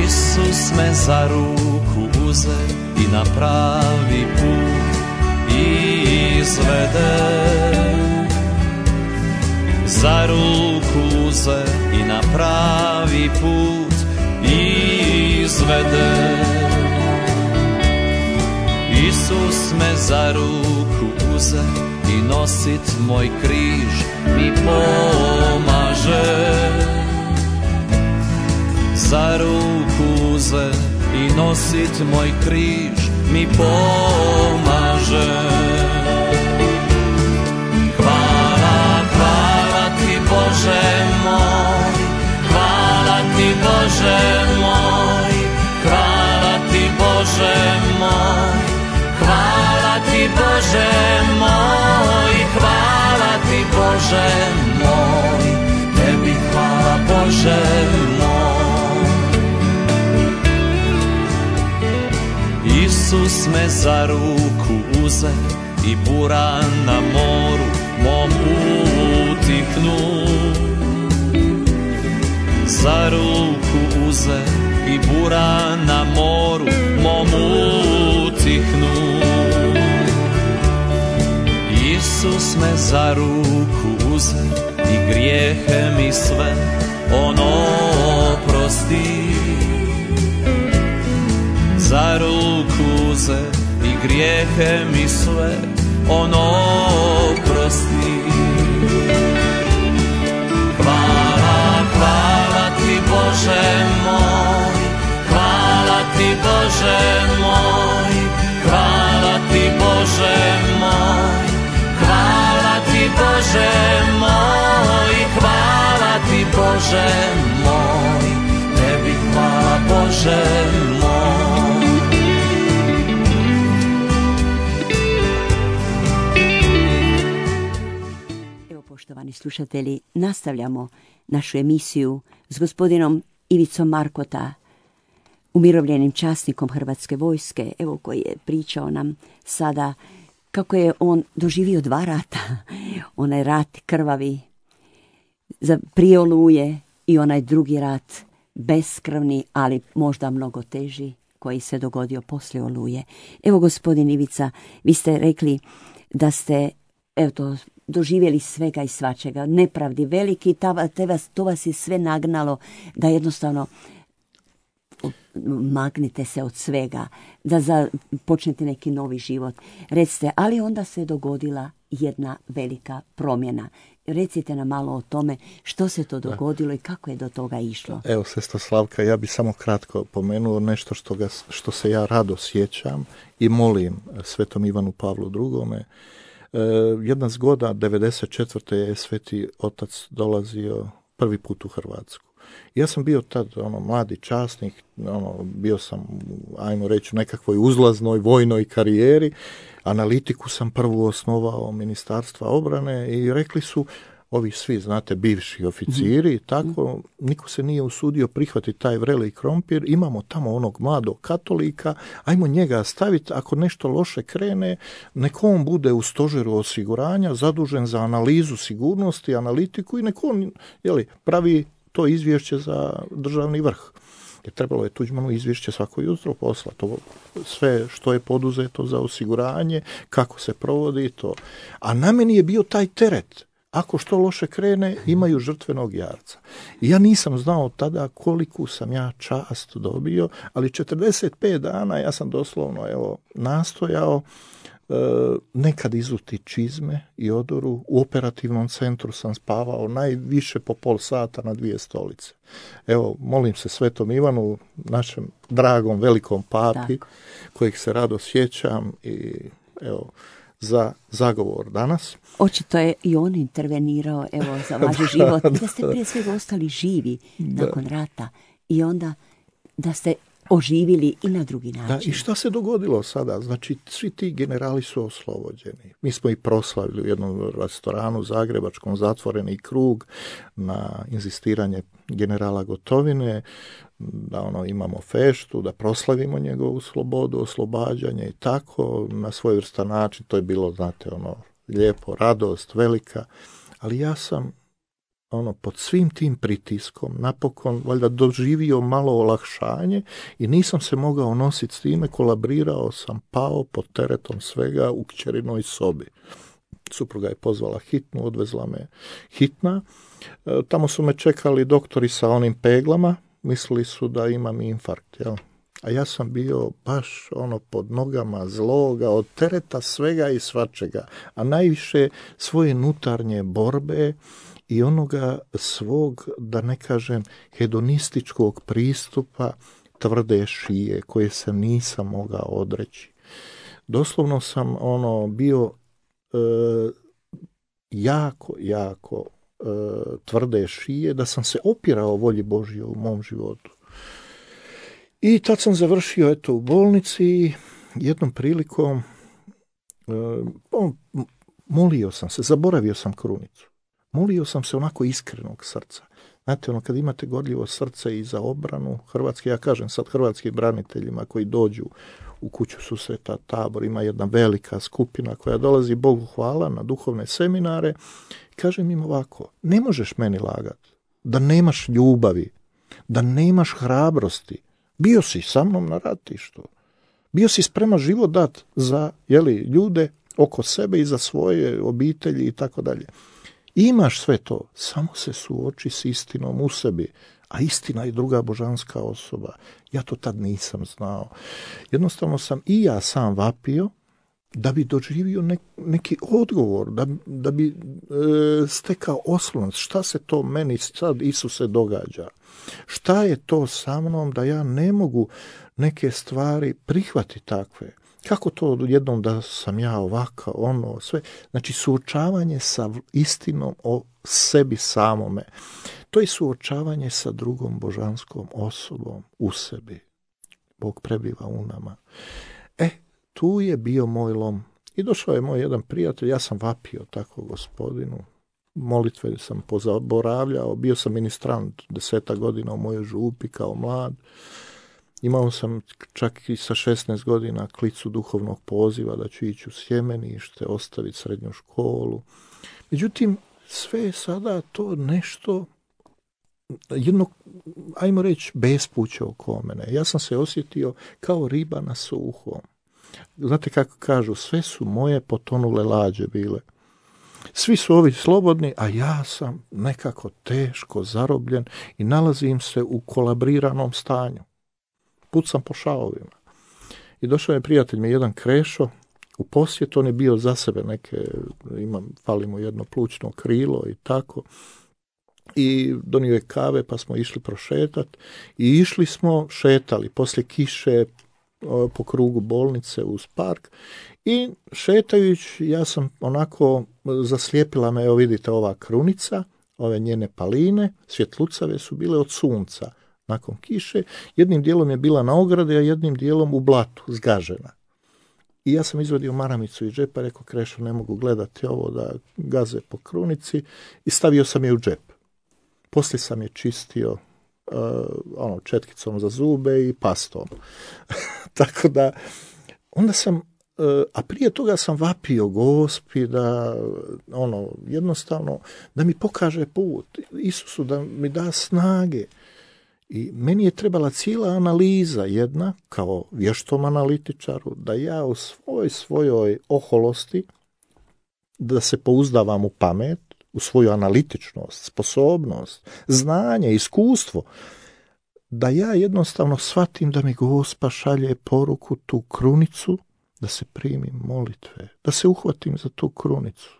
C: Isus me za ruku uze i na pravi put izvede. Za ruku uze i na pravi put izvede. Isus me za ruku uze i nosit moj križ mi pomaže. Za ruku uze i nosit moj križ mi pomaže. Hvala, hvala ti Bože moj, hvala ti Bože moj, hvala ti Bože moj, hvala ti Bože moj, hvala ti Bože moj, tebi hvala Bože moj. Isus me za ruku uze i bura na moru mom utihnu. Za ruku uze i bura na moru mom utihnu. Isus me za ruku uze i grijehe mi sve on oprosti. Za ruku uze i grijehe mi sve on oprosti. Hvala, hvala ti Bože moj, hvala ti Bože moj, hvala ti Bože moj, hvala ti Bože moj, hvala ti Bože Bože moj.
A: Evo, poštovani slušatelji, nastavljamo našu emisiju s gospodinom Ivicom Markota, umirovljenim časnikom Hrvatske vojske, evo, koji je pričao nam sada kako je on doživio 2 rata. Onaj rat krvavi prije Oluje i onaj drugi rat beskrvni, ali možda mnogo teži, koji se dogodio poslije Oluje. Evo, gospodin Ivica, vi ste rekli da ste, evo to, doživjeli svega i svačega, nepravdi veliki, to vas je sve nagnalo da jednostavno magnite se od svega, da počnete neki novi život. Recite, ali onda se dogodila jedna velika promjena. Recite nam malo o tome što se to dogodilo i kako je do toga išlo.
B: Evo, sestra Slavka, ja bi samo kratko pomenuo nešto što se ja rado sjećam i molim svetom Ivanu Pavlu II. Jedna zgoda, 94. je Sveti Otac dolazio prvi put u Hrvatsku. Ja sam bio tad mladi časnik, bio sam, ajmo reći, u nekakvoj uzlaznoj vojnoj karijeri. Analitiku sam prvu osnovao Ministarstva obrane i rekli su, ovi svi, znate, bivši oficiri i tako, niko se nije usudio prihvatiti taj vreli krompir, imamo tamo onog mladog katolika, ajmo njega staviti, ako nešto loše krene, neko on bude u stožeru osiguranja, zadužen za analizu sigurnosti, analitiku i neko on, pravi to izvješće za državni vrh. Jer trebalo je Tuđmanu izvješće svako jutro poslati. To sve što je poduzeto za osiguranje, kako se provodi to. A na meni je bio taj teret. Ako što loše krene, imaju žrtvenog jarca. I ja nisam znao tada koliku sam ja čast dobio, ali 45 dana ja sam doslovno nastojao nekad izuti čizme i odoru. U operativnom centru sam spavao najviše po pol sata na 2 stolice. Evo, molim se svetom Ivanu, našem dragom velikom papi, kojeg se rado sjećam, i evo, za zagovor danas.
A: Očito je i on intervenirao, evo, za vaš život. Da ste prije svega ostali živi nakon rata i onda da ste oživili i na drugi način.
B: Da, i šta se dogodilo sada? Znači, svi ti generali su oslobođeni. Mi smo i proslavili u jednom restoranu zagrebačkom zatvoreni krug na inzistiranje generala Gotovine, da imamo feštu, da proslavimo njegovu slobodu, oslobađanje i tako, na svojevrstan način. To je bilo, znate, lijepo, radost, velika, ali ja sam pod svim tim pritiskom napokon valjda doživio malo olakšanje i nisam se mogao nositi s time, kolabrirao sam, pao pod teretom svega u kćerinoj sobi. Supruga je pozvala hitnu, odvezla me hitna. Tamo su me čekali doktori sa onim peglama, mislili su da imam infarkt, jel? A ja sam bio baš pod nogama zloga, od tereta svega i svačega, a najviše svoje unutarnje borbe i onoga svog, da ne kažem, hedonističkog pristupa tvrde šije koje se nisam mogao odreći. Doslovno sam bio jako tvrde šije, da sam se opirao volji Božje u mom životu. I tad sam završio u bolnici, jednom prilikom molio sam se, zaboravio sam krunicu. Molio sam se onako iskrenog srca. Znate, kad imate gorljivo srce i za obranu Hrvatske, ja kažem sad hrvatskim braniteljima koji dođu u kuću susreta Tabor, ima jedna velika skupina koja dolazi, Bogu hvala, na duhovne seminare. Kažem im ovako, ne možeš meni lagati da nemaš ljubavi, da nemaš hrabrosti. Bio si sa mnom na ratištu. Bio si spreman život dat za ljude oko sebe i za svoje obitelji i tako dalje. Imaš sve to, samo se suoči s istinom u sebi, a istina je druga božanska osoba. Ja to tad nisam znao. Jednostavno sam i ja sam vapio da bi doživio neki odgovor, da bi stekao oslonac. Šta se to meni sad, Isuse, događa? Šta je to sa mnom da ja ne mogu neke stvari prihvatiti takve? Kako to jednom da sam ja ovaka, sve? Znači, suočavanje sa istinom o sebi samome. To je suočavanje sa drugom božanskom osobom u sebi. Bog prebiva u nama. Tu je bio moj lom. I došao je moj jedan prijatelj, ja sam vapio tako Gospodinu. Molitve sam pozaboravljao, bio sam ministrant 10 godina u mojoj župi kao mlad. Imao sam čak i sa 16 godina klicu duhovnog poziva da ću ići u sjemenište, ostaviti srednju školu. Međutim, sve je sada to nešto, jedno, ajmo reći, bespuće oko mene. Ja sam se osjetio kao riba na suhom. Znate kako kažu, sve su moje potonule lađe bile. Svi su ovi slobodni, a ja sam nekako teško zarobljen i nalazim se u kolabriranom stanju. Pucam po šavovima. I došao je prijatelj mi jedan Krešo u posjet, on je bio za sebe fali mu jedno plućno krilo i tako. I donio je kave pa smo išli prošetati i išli smo, šetali poslije kiše po krugu bolnice uz park i šetajući ja sam onako zaslijepila me, evo vidite ova krunica, ove njene paline, svjetlucave su bile od sunca nakon kiše, jednim dijelom je bila na ogradi, a jednim dijelom u blatu, zgažena. I ja sam izvadio maramicu iz džepa, rekao Krešo, ne mogu gledati ovo da gaze po krunici i stavio sam je u džep. Poslije sam je čistio četkicom za zube i pastom. Tako da, onda sam, a prije toga sam vapio Gospi da, jednostavno, da mi pokaže put, Isusu da mi da snage. I meni je trebala cijela analiza jedna, kao vještom analitičaru, da ja u svojoj oholosti, da se pouzdavam u pamet, u svoju analitičnost, sposobnost, znanje, iskustvo, da ja jednostavno shvatim da mi Gospa šalje poruku, tu krunicu, da se primim molitve, da se uhvatim za tu krunicu,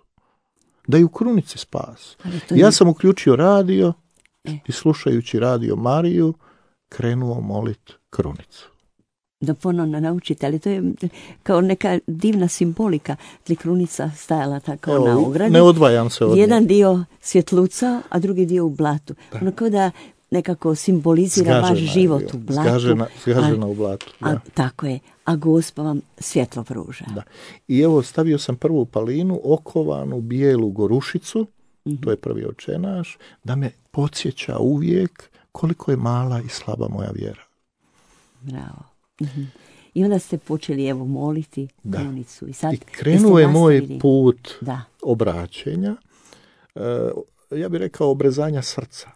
B: da je u krunici spas. Ja sam uključio radio i slušajući Radio Mariju krenuo molit krunicu.
A: Da ponovno naučite, ali to je kao neka divna simbolika. Krunica stajala tako na ogradi.
B: Ne odvajam se od nje.
A: Jedan dio svjetluca, a drugi dio u blatu. Ono kao da nekako simbolizira vaš život u blatu.
B: Zgažena u blatu. Da.
A: Tako je. A Gospa vam svjetlo pruža.
B: Da. I evo stavio sam prvu palinu, okovanu bijelu gorušicu, to je prvi očenaš, da me podsjeća uvijek koliko je mala i slaba moja vjera.
A: Bravo. I onda ste počeli moliti krunicu.
B: I krenuo je moj put obraćenja, ja bih rekao obrezanja srca.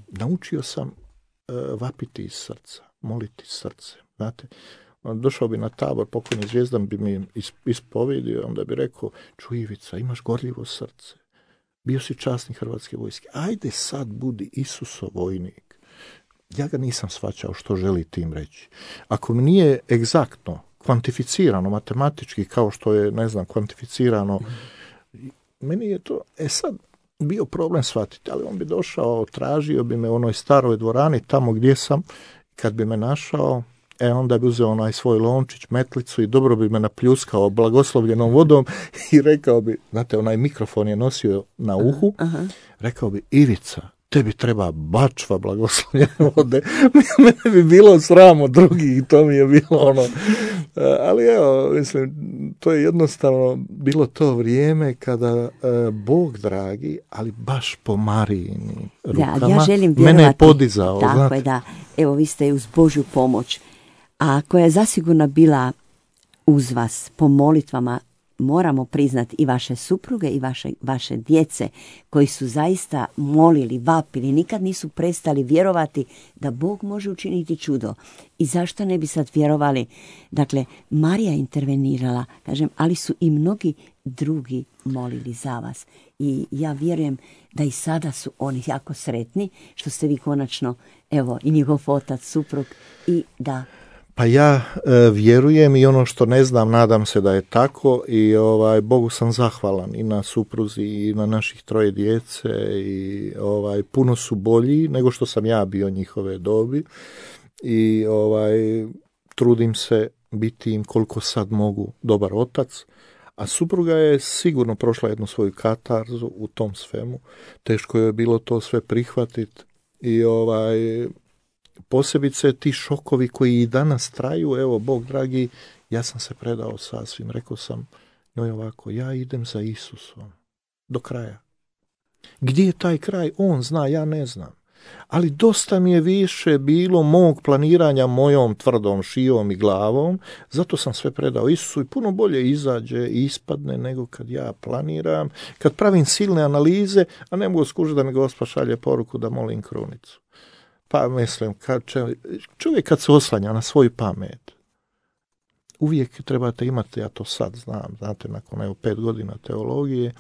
B: Naučio sam vapiti iz srca, moliti srce. Znate, došao bi na tabor, pokojni Zvijezdan bi mi ispovidio, onda bi rekao, čuj Ivica, imaš gorljivo srce, bio si časnik Hrvatske vojske, ajde sad budi Isusov vojnik. Ja ga nisam shvaćao što želi tim reći. Ako mi nije egzaktno, kvantificirano, matematički, kao što je, kvantificirano, meni je to, sad, bio problem shvatiti, ali on bi došao, tražio bi me u onoj staroj dvorani, tamo gdje sam, kad bi me našao, onda bi uzeo onaj svoj lončić, metlicu i dobro bi me napljuskao blagoslovljenom vodom i rekao bi, znate, onaj mikrofon je nosio na uhu, rekao bi, Ivica, tebi treba bačva blagoslovljene vode. Mene bi bilo sramo drugih i to mi je bilo ali evo, mislim, to je jednostavno bilo to vrijeme kada Bog dragi, ali baš po Marijini rukama,
A: ja želim vjerovati,
B: mene je podizao.
A: Tako znate? Je, da. Evo, vi ste uz Božju pomoć, a koja je zasigurno bila uz vas po molitvama, moramo priznati i vaše supruge i vaše djece koji su zaista molili, vapili, nikad nisu prestali vjerovati da Bog može učiniti čudo. I zašto ne bi sad vjerovali? Dakle, Marija intervenirala, kažem, ali su i mnogi drugi molili za vas. I ja vjerujem da i sada su oni jako sretni što ste vi konačno, evo, i njihov otac, suprug, i da...
B: Pa ja vjerujem i ono što ne znam, nadam se da je tako i Bogu sam zahvalan i na supruzi i na naših 3 djece i puno su bolji nego što sam ja bio njihove dobi i trudim se biti im koliko sad mogu dobar otac, a supruga je sigurno prošla jednu svoju katarzu u tom svemu, teško je bilo to sve prihvatiti i posebice ti šokovi koji i danas traju, evo, Bog dragi, ja sam se predao sasvim, rekao sam njoj ovako, ja idem za Isusom, do kraja. Gdje je taj kraj? On zna, ja ne znam. Ali dosta mi je više bilo mog planiranja mojom tvrdom šijom i glavom, zato sam sve predao Isusu i puno bolje izađe i ispadne nego kad ja planiram, kad pravim silne analize, a ne mogu skužiti da mi Gospod šalje poruku da molim krunicu. Pa mislim, čovjek kad se oslanja na svoju pamet, uvijek trebate imati, ja to sad znam, znate, nakon 5 godina teologije,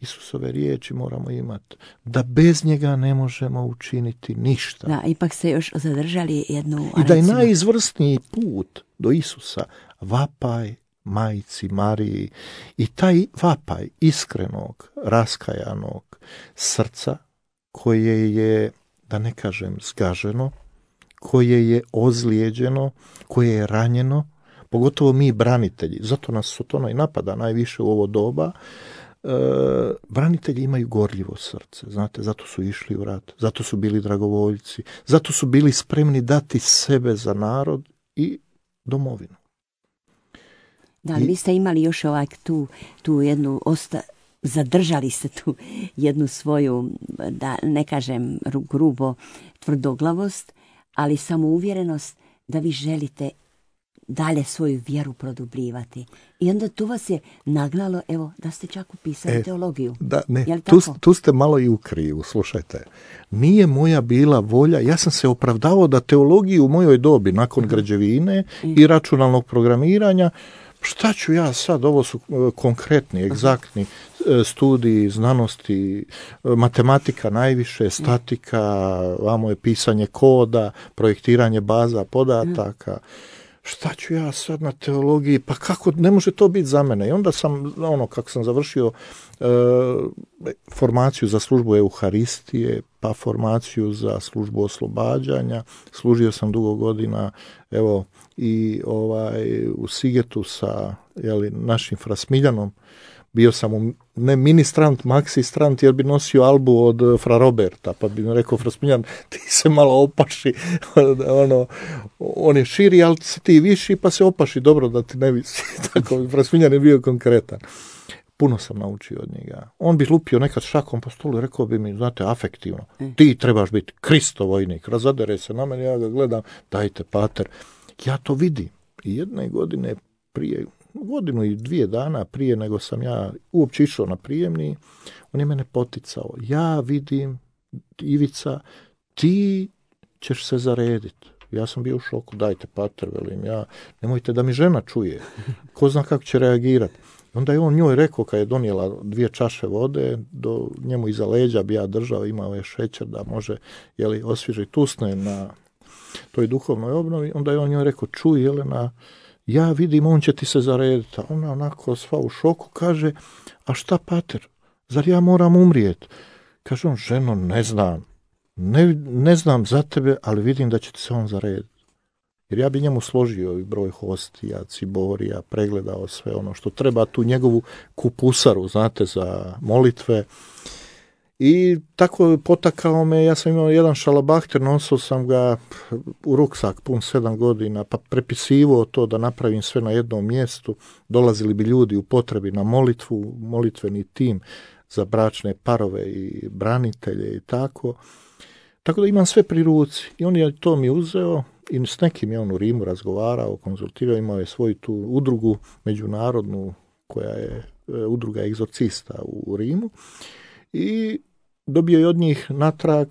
B: Isusove riječi moramo imati, da bez njega ne možemo učiniti ništa.
A: Da, ipak ste još zadržali jednu...
B: I da je najizvrsniji put do Isusa vapaj Majci Mariji i taj vapaj iskrenog, raskajanog srca koje je, da ne kažem zgaženo, koje je ozlijeđeno, koje je ranjeno, pogotovo mi branitelji, zato nas Sotona i napada najviše u ovo doba. Branitelji imaju gorljivo srce, znate, zato su išli u rat, zato su bili dragovoljci, zato su bili spremni dati sebe za narod i domovinu.
A: Da, vi ste imali još tu jednu, zadržali ste tu jednu svoju, da ne kažem grubo, tvrdoglavost, ali samouvjerenost da vi želite dalje svoju vjeru produbljivati. I onda tu vas je nagnalo, evo, da ste čak upisali teologiju.
B: Da, ne, tu ste malo i u krivu, slušajte. Nije moja bila volja, ja sam se opravdavao da teologiju u mojoj dobi, nakon građevine i računalnog programiranja, šta ću ja sad, ovo su konkretni, egzaktni studiji, znanosti, matematika najviše, statika, vamo je pisanje koda, projektiranje baza podataka. Šta ću ja sad na teologiji, pa kako, ne može to biti za mene. I onda sam, kako sam završio formaciju za službu Euharistije, pa formaciju za službu oslobađanja, služio sam dugo godina, evo, i u Sigetu sa našim Frasmiljanom, bio sam ne ministrant, maksistrant, jer bi nosio albu od Fra Roberta, pa bi mi rekao Frasmiljan, ti se malo opaši, on je širi, ali si ti viši, pa se opaši, dobro da ti ne visi. Tako, Frasmiljan je bio konkretan. Puno sam naučio od njega. On bi lupio nekad šakom po stolu i rekao bi mi, znate, afektivno, ti trebaš biti Kristo vojnik, razadere se na mene, ja ga gledam, dajte pater. Ja to vidim. I jedne godine prije, godinu i 2 dana prije nego sam ja uopće išao na prijemni, on je mene poticao. Ja vidim, Ivica, ti ćeš se zarediti. Ja sam bio u šoku, dajte pater, velim ja, nemojte da mi žena čuje. Ko zna kako će reagirati. Onda je on njoj rekao, kad je donijela 2 čaše vode, do njemu iza leđa bi ja držao, imao je šećer da može osvježiti usne na toj duhovnoj obnovi. Onda je on njoj rekao, čuj Jelena, ja vidim, on će ti se zarediti. A ona onako sva u šoku kaže, a šta pater, zar ja moram umrijeti? Kaže on, ženo, ne znam. Ne znam za tebe, ali vidim da će ti se on zarediti. Jer ja bi njemu složio i broj hostija, ciborija, pregledao sve ono što treba, tu njegovu kupusaru, znate, za molitve. I tako potakao me, ja sam imao jedan šalabahter, nosio sam ga u ruksak pun 7 godina, pa prepisivo to da napravim sve na jednom mjestu. Dolazili bi ljudi u potrebi na molitvu, molitveni tim za bračne parove i branitelje i tako. Tako da imam sve pri ruci. I on je to mi uzeo i s nekim je on u Rimu razgovarao, konzultirao, imao je svoju tu udrugu međunarodnu koja je udruga egzorcista u Rimu i dobio je od njih natrag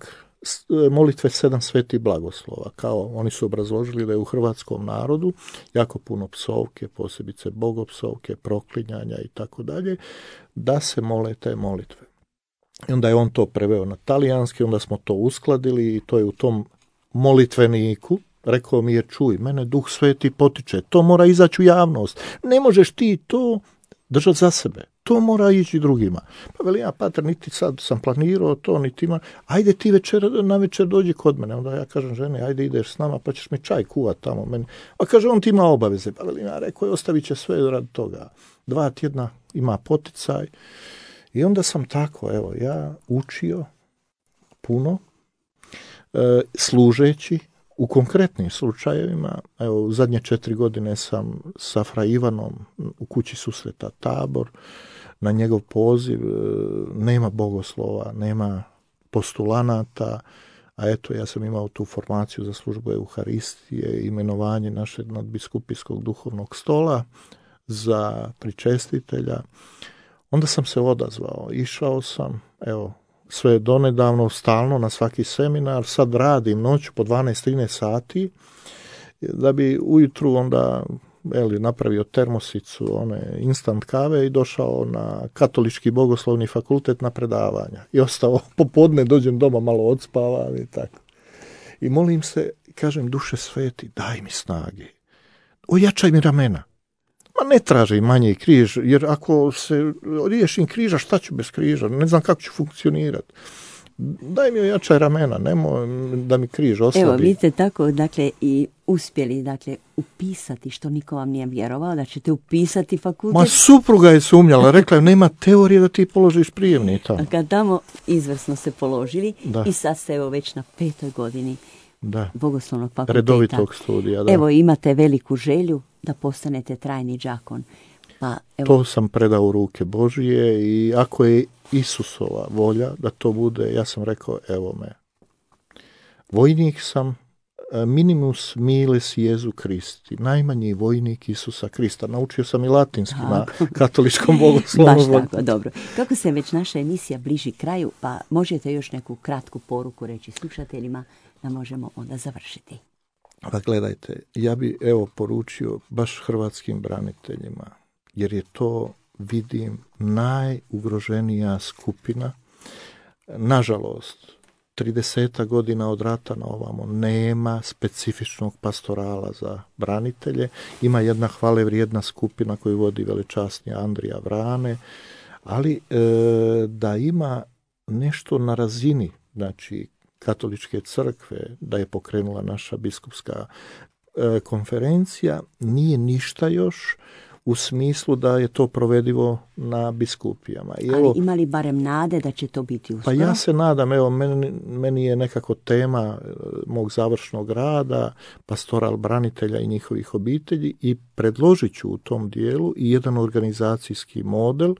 B: molitve 7 svetih blagoslova. Kao oni su obrazložili da je u hrvatskom narodu jako puno psovke, posebice bogopsovke, proklinjanja i tako dalje, da se mole te molitve. I onda je on to preveo na talijanski, onda smo to uskladili i to je u tom molitveniku. Rekao mi je, čuj, mene Duh Sveti potiče, to mora izaći u javnost. Ne možeš ti to držati za sebe, to mora ići drugima. Pa veli, ja, pater, niti sad sam planirao to, niti ima, ajde ti na večer dođi kod mene. Onda ja kažem žene, ajde ideš s nama, pa ćeš mi čaj kuvat tamo meni. A kaže, on ti ima obaveze. Pa veli, ja rekao, ostavit će sve radi toga. 2 tjedna ima poticaj. I onda sam tako, evo, ja učio puno, služeći U konkretnim slučajevima, evo, u zadnje 4 godine sam sa Fra Ivanom u kući susreta Tabor, na njegov poziv, nema bogoslova, nema postulanata, a eto, ja sam imao tu formaciju za službu Euharistije, imenovanje našeg nadbiskupijskog duhovnog stola za pričestitelja. Onda sam se odazvao, išao sam, evo, sve donedavno, stalno na svaki seminar, sad radim noću po 12-13 sati, da bi ujutru onda napravio termosicu, one instant kave i došao na Katolički bogoslovni fakultet na predavanja. I ostao popodne, dođem doma, malo odspavam i tako. I molim se, kažem, Duše sveti, daj mi snage, ojačaj mi ramena. Ma ne tražim manje križ, jer ako se riješim križa, šta ću bez križa? Ne znam kako ću funkcionirati. Daj mi ojačaj ramena, nemoj da mi križ oslabi.
A: Evo, vidite tako, dakle, i uspjeli, dakle, upisati, što niko vam nije vjerovao, da ćete upisati fakultet.
B: Ma supruga je sumnjala, rekla je, nema teorije da ti položiš prijemni tamo.
A: A kad tamo izvrsno se položili, da. I sad ste evo već na 5. godini bogoslovnog fakulteta.
B: Redovitog studija, da.
A: Evo, imate veliku želju da postanete trajni đakon. Pa, evo.
B: To sam predao u ruke Božije i ako je Isusova volja da to bude, ja sam rekao, evo me. Vojnik sam, minimus miles Jezu Kristi, najmanji vojnik Isusa Krista. Naučio sam i latinski na katoličkom bogoslovu.
A: Baš tako, dobro. Kako se već naša emisija bliži kraju, pa možete još neku kratku poruku reći slušateljima da možemo onda završiti.
B: Pa gledajte, ja bi poručio baš hrvatskim braniteljima, jer je to, vidim, najugroženija skupina. Nažalost, 30 godina od rata na ovamo nema specifičnog pastorala za branitelje. Ima jedna hvale vrijedna skupina koju vodi velečasni Andrija Vrane, ali da ima nešto na razini, znači, Katoličke crkve, da je pokrenula naša biskupska konferencija, nije ništa još u smislu da je to provedivo na biskupijama.
A: Ali ima li barem nade da će to biti uskoro?
B: Pa ja se nadam, meni je nekako tema mog završnog rada, pastoral branitelja i njihovih obitelji, i predložit ću u tom dijelu i jedan organizacijski model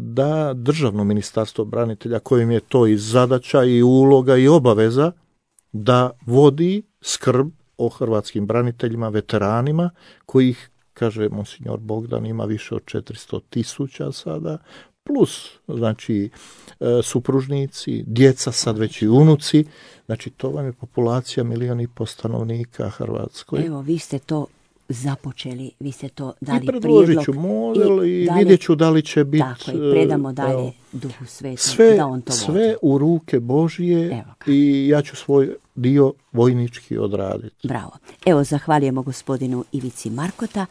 B: da Državno ministarstvo branitelja, kojim je to i zadaća i uloga i obaveza, da vodi skrb o hrvatskim braniteljima, veteranima, kojih, kaže monsignor Bogdan, ima više od 400.000 sada, plus, znači, supružnici, djeca, sad već i unuci, znači to vam je populacija 1,5 milijuna stanovnika Hrvatskoj.
A: Evo, vi ste to započeli, vi ste to dali prijedlog.
B: I predložit ću model i vidjet ću da li će biti...
A: Tako, i predamo dalje Duhu Svetom, da on to vodi.
B: Sve u ruke Božije i ja ću svoj dio vojnički odraditi.
A: Bravo. Evo, zahvaljujemo gospodinu Ivici Markota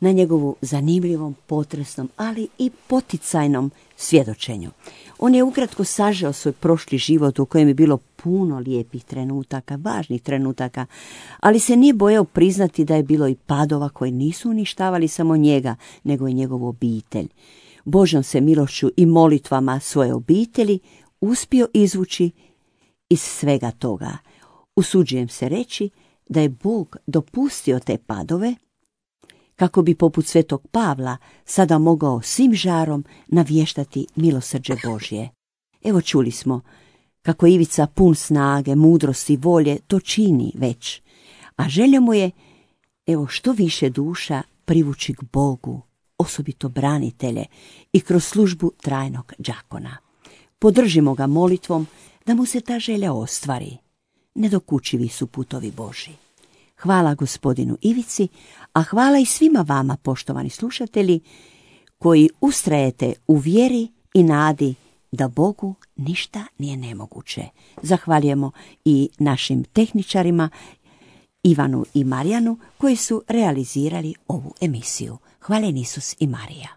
A: na njegovu zanimljivom, potresnom, ali i poticajnom svjedočenju. On je ukratko sažeo svoj prošli život u kojem je bilo puno lijepih trenutaka, važnih trenutaka, ali se nije bojao priznati da je bilo i padova koji nisu uništavali samo njega, nego i njegovu obitelj. Božjom se milošću i molitvama svoje obitelji uspio izvući iz svega toga. Usuđujem se reći da je Bog dopustio te padove kako bi poput svetog Pavla sada mogao svim žarom navještati milosrđe Božje. Evo, čuli smo kako Ivica pun snage, mudrosti i volje to čini već, a želja mu je, evo, što više duša privući k Bogu, osobito branitelje, i kroz službu trajnog đakona. Podržimo ga molitvom da mu se ta želja ostvari. Nedokučivi su putovi Božji. Hvala gospodinu Ivici, a hvala i svima vama, poštovani slušatelji, koji ustrajete u vjeri i nadi da Bogu ništa nije nemoguće. Zahvaljujemo i našim tehničarima Ivanu i Marijanu koji su realizirali ovu emisiju. Hvaljen Isus i Marija.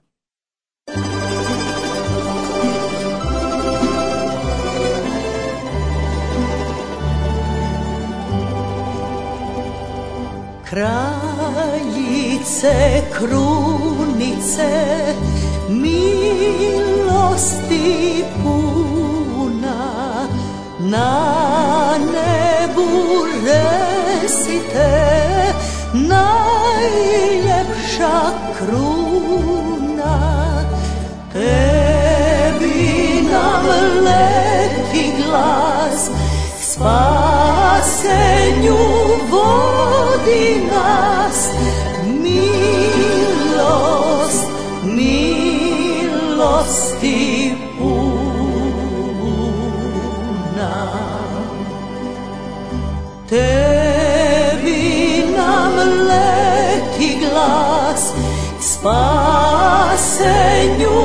D: Kraljice, krunice, milosti puna, na nebu te najljepša kruna. Tebi nam leti glas, spasenju vodi nas. Milost, milosti puna. Tebi nam leti glas, spasenju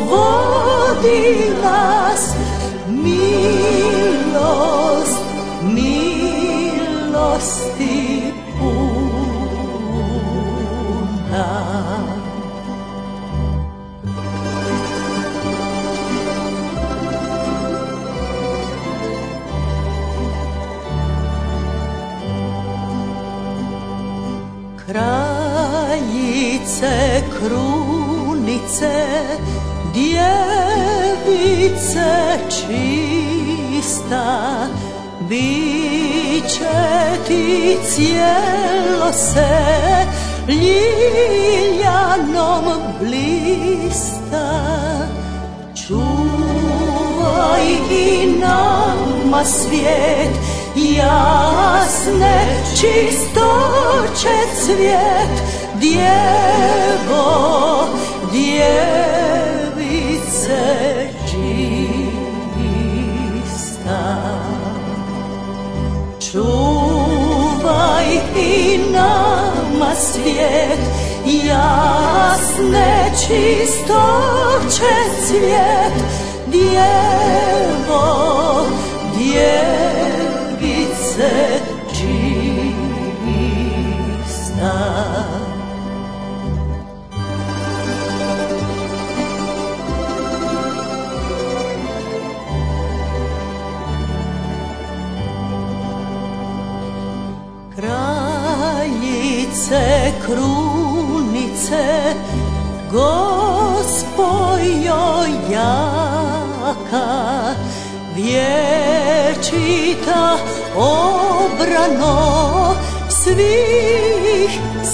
D: vodi nas. Milost, milosti puna. Kraljice, krunice, djevice čista, biće ti cijelo se ljiljanom blista. Čuvaj i nama svijet, jasne čistoće cvijet. Djevo, djevice čista, čuvaj i nama svijet, jasne čistoće cvijet. Djevo, djevice čista. Kraljice, krunice, Gospojo jaka, vječita obrano svih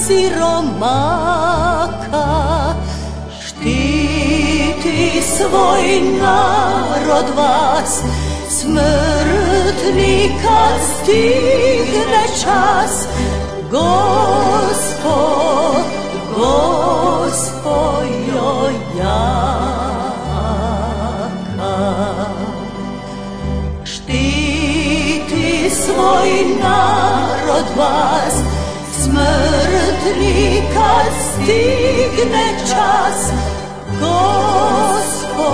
D: siromaka. Štiti svoj narod vas, smrtni kad stigne čas. Gospojo jaka, štiti svoj narod vas, smrtni kad stigne čas. Gospo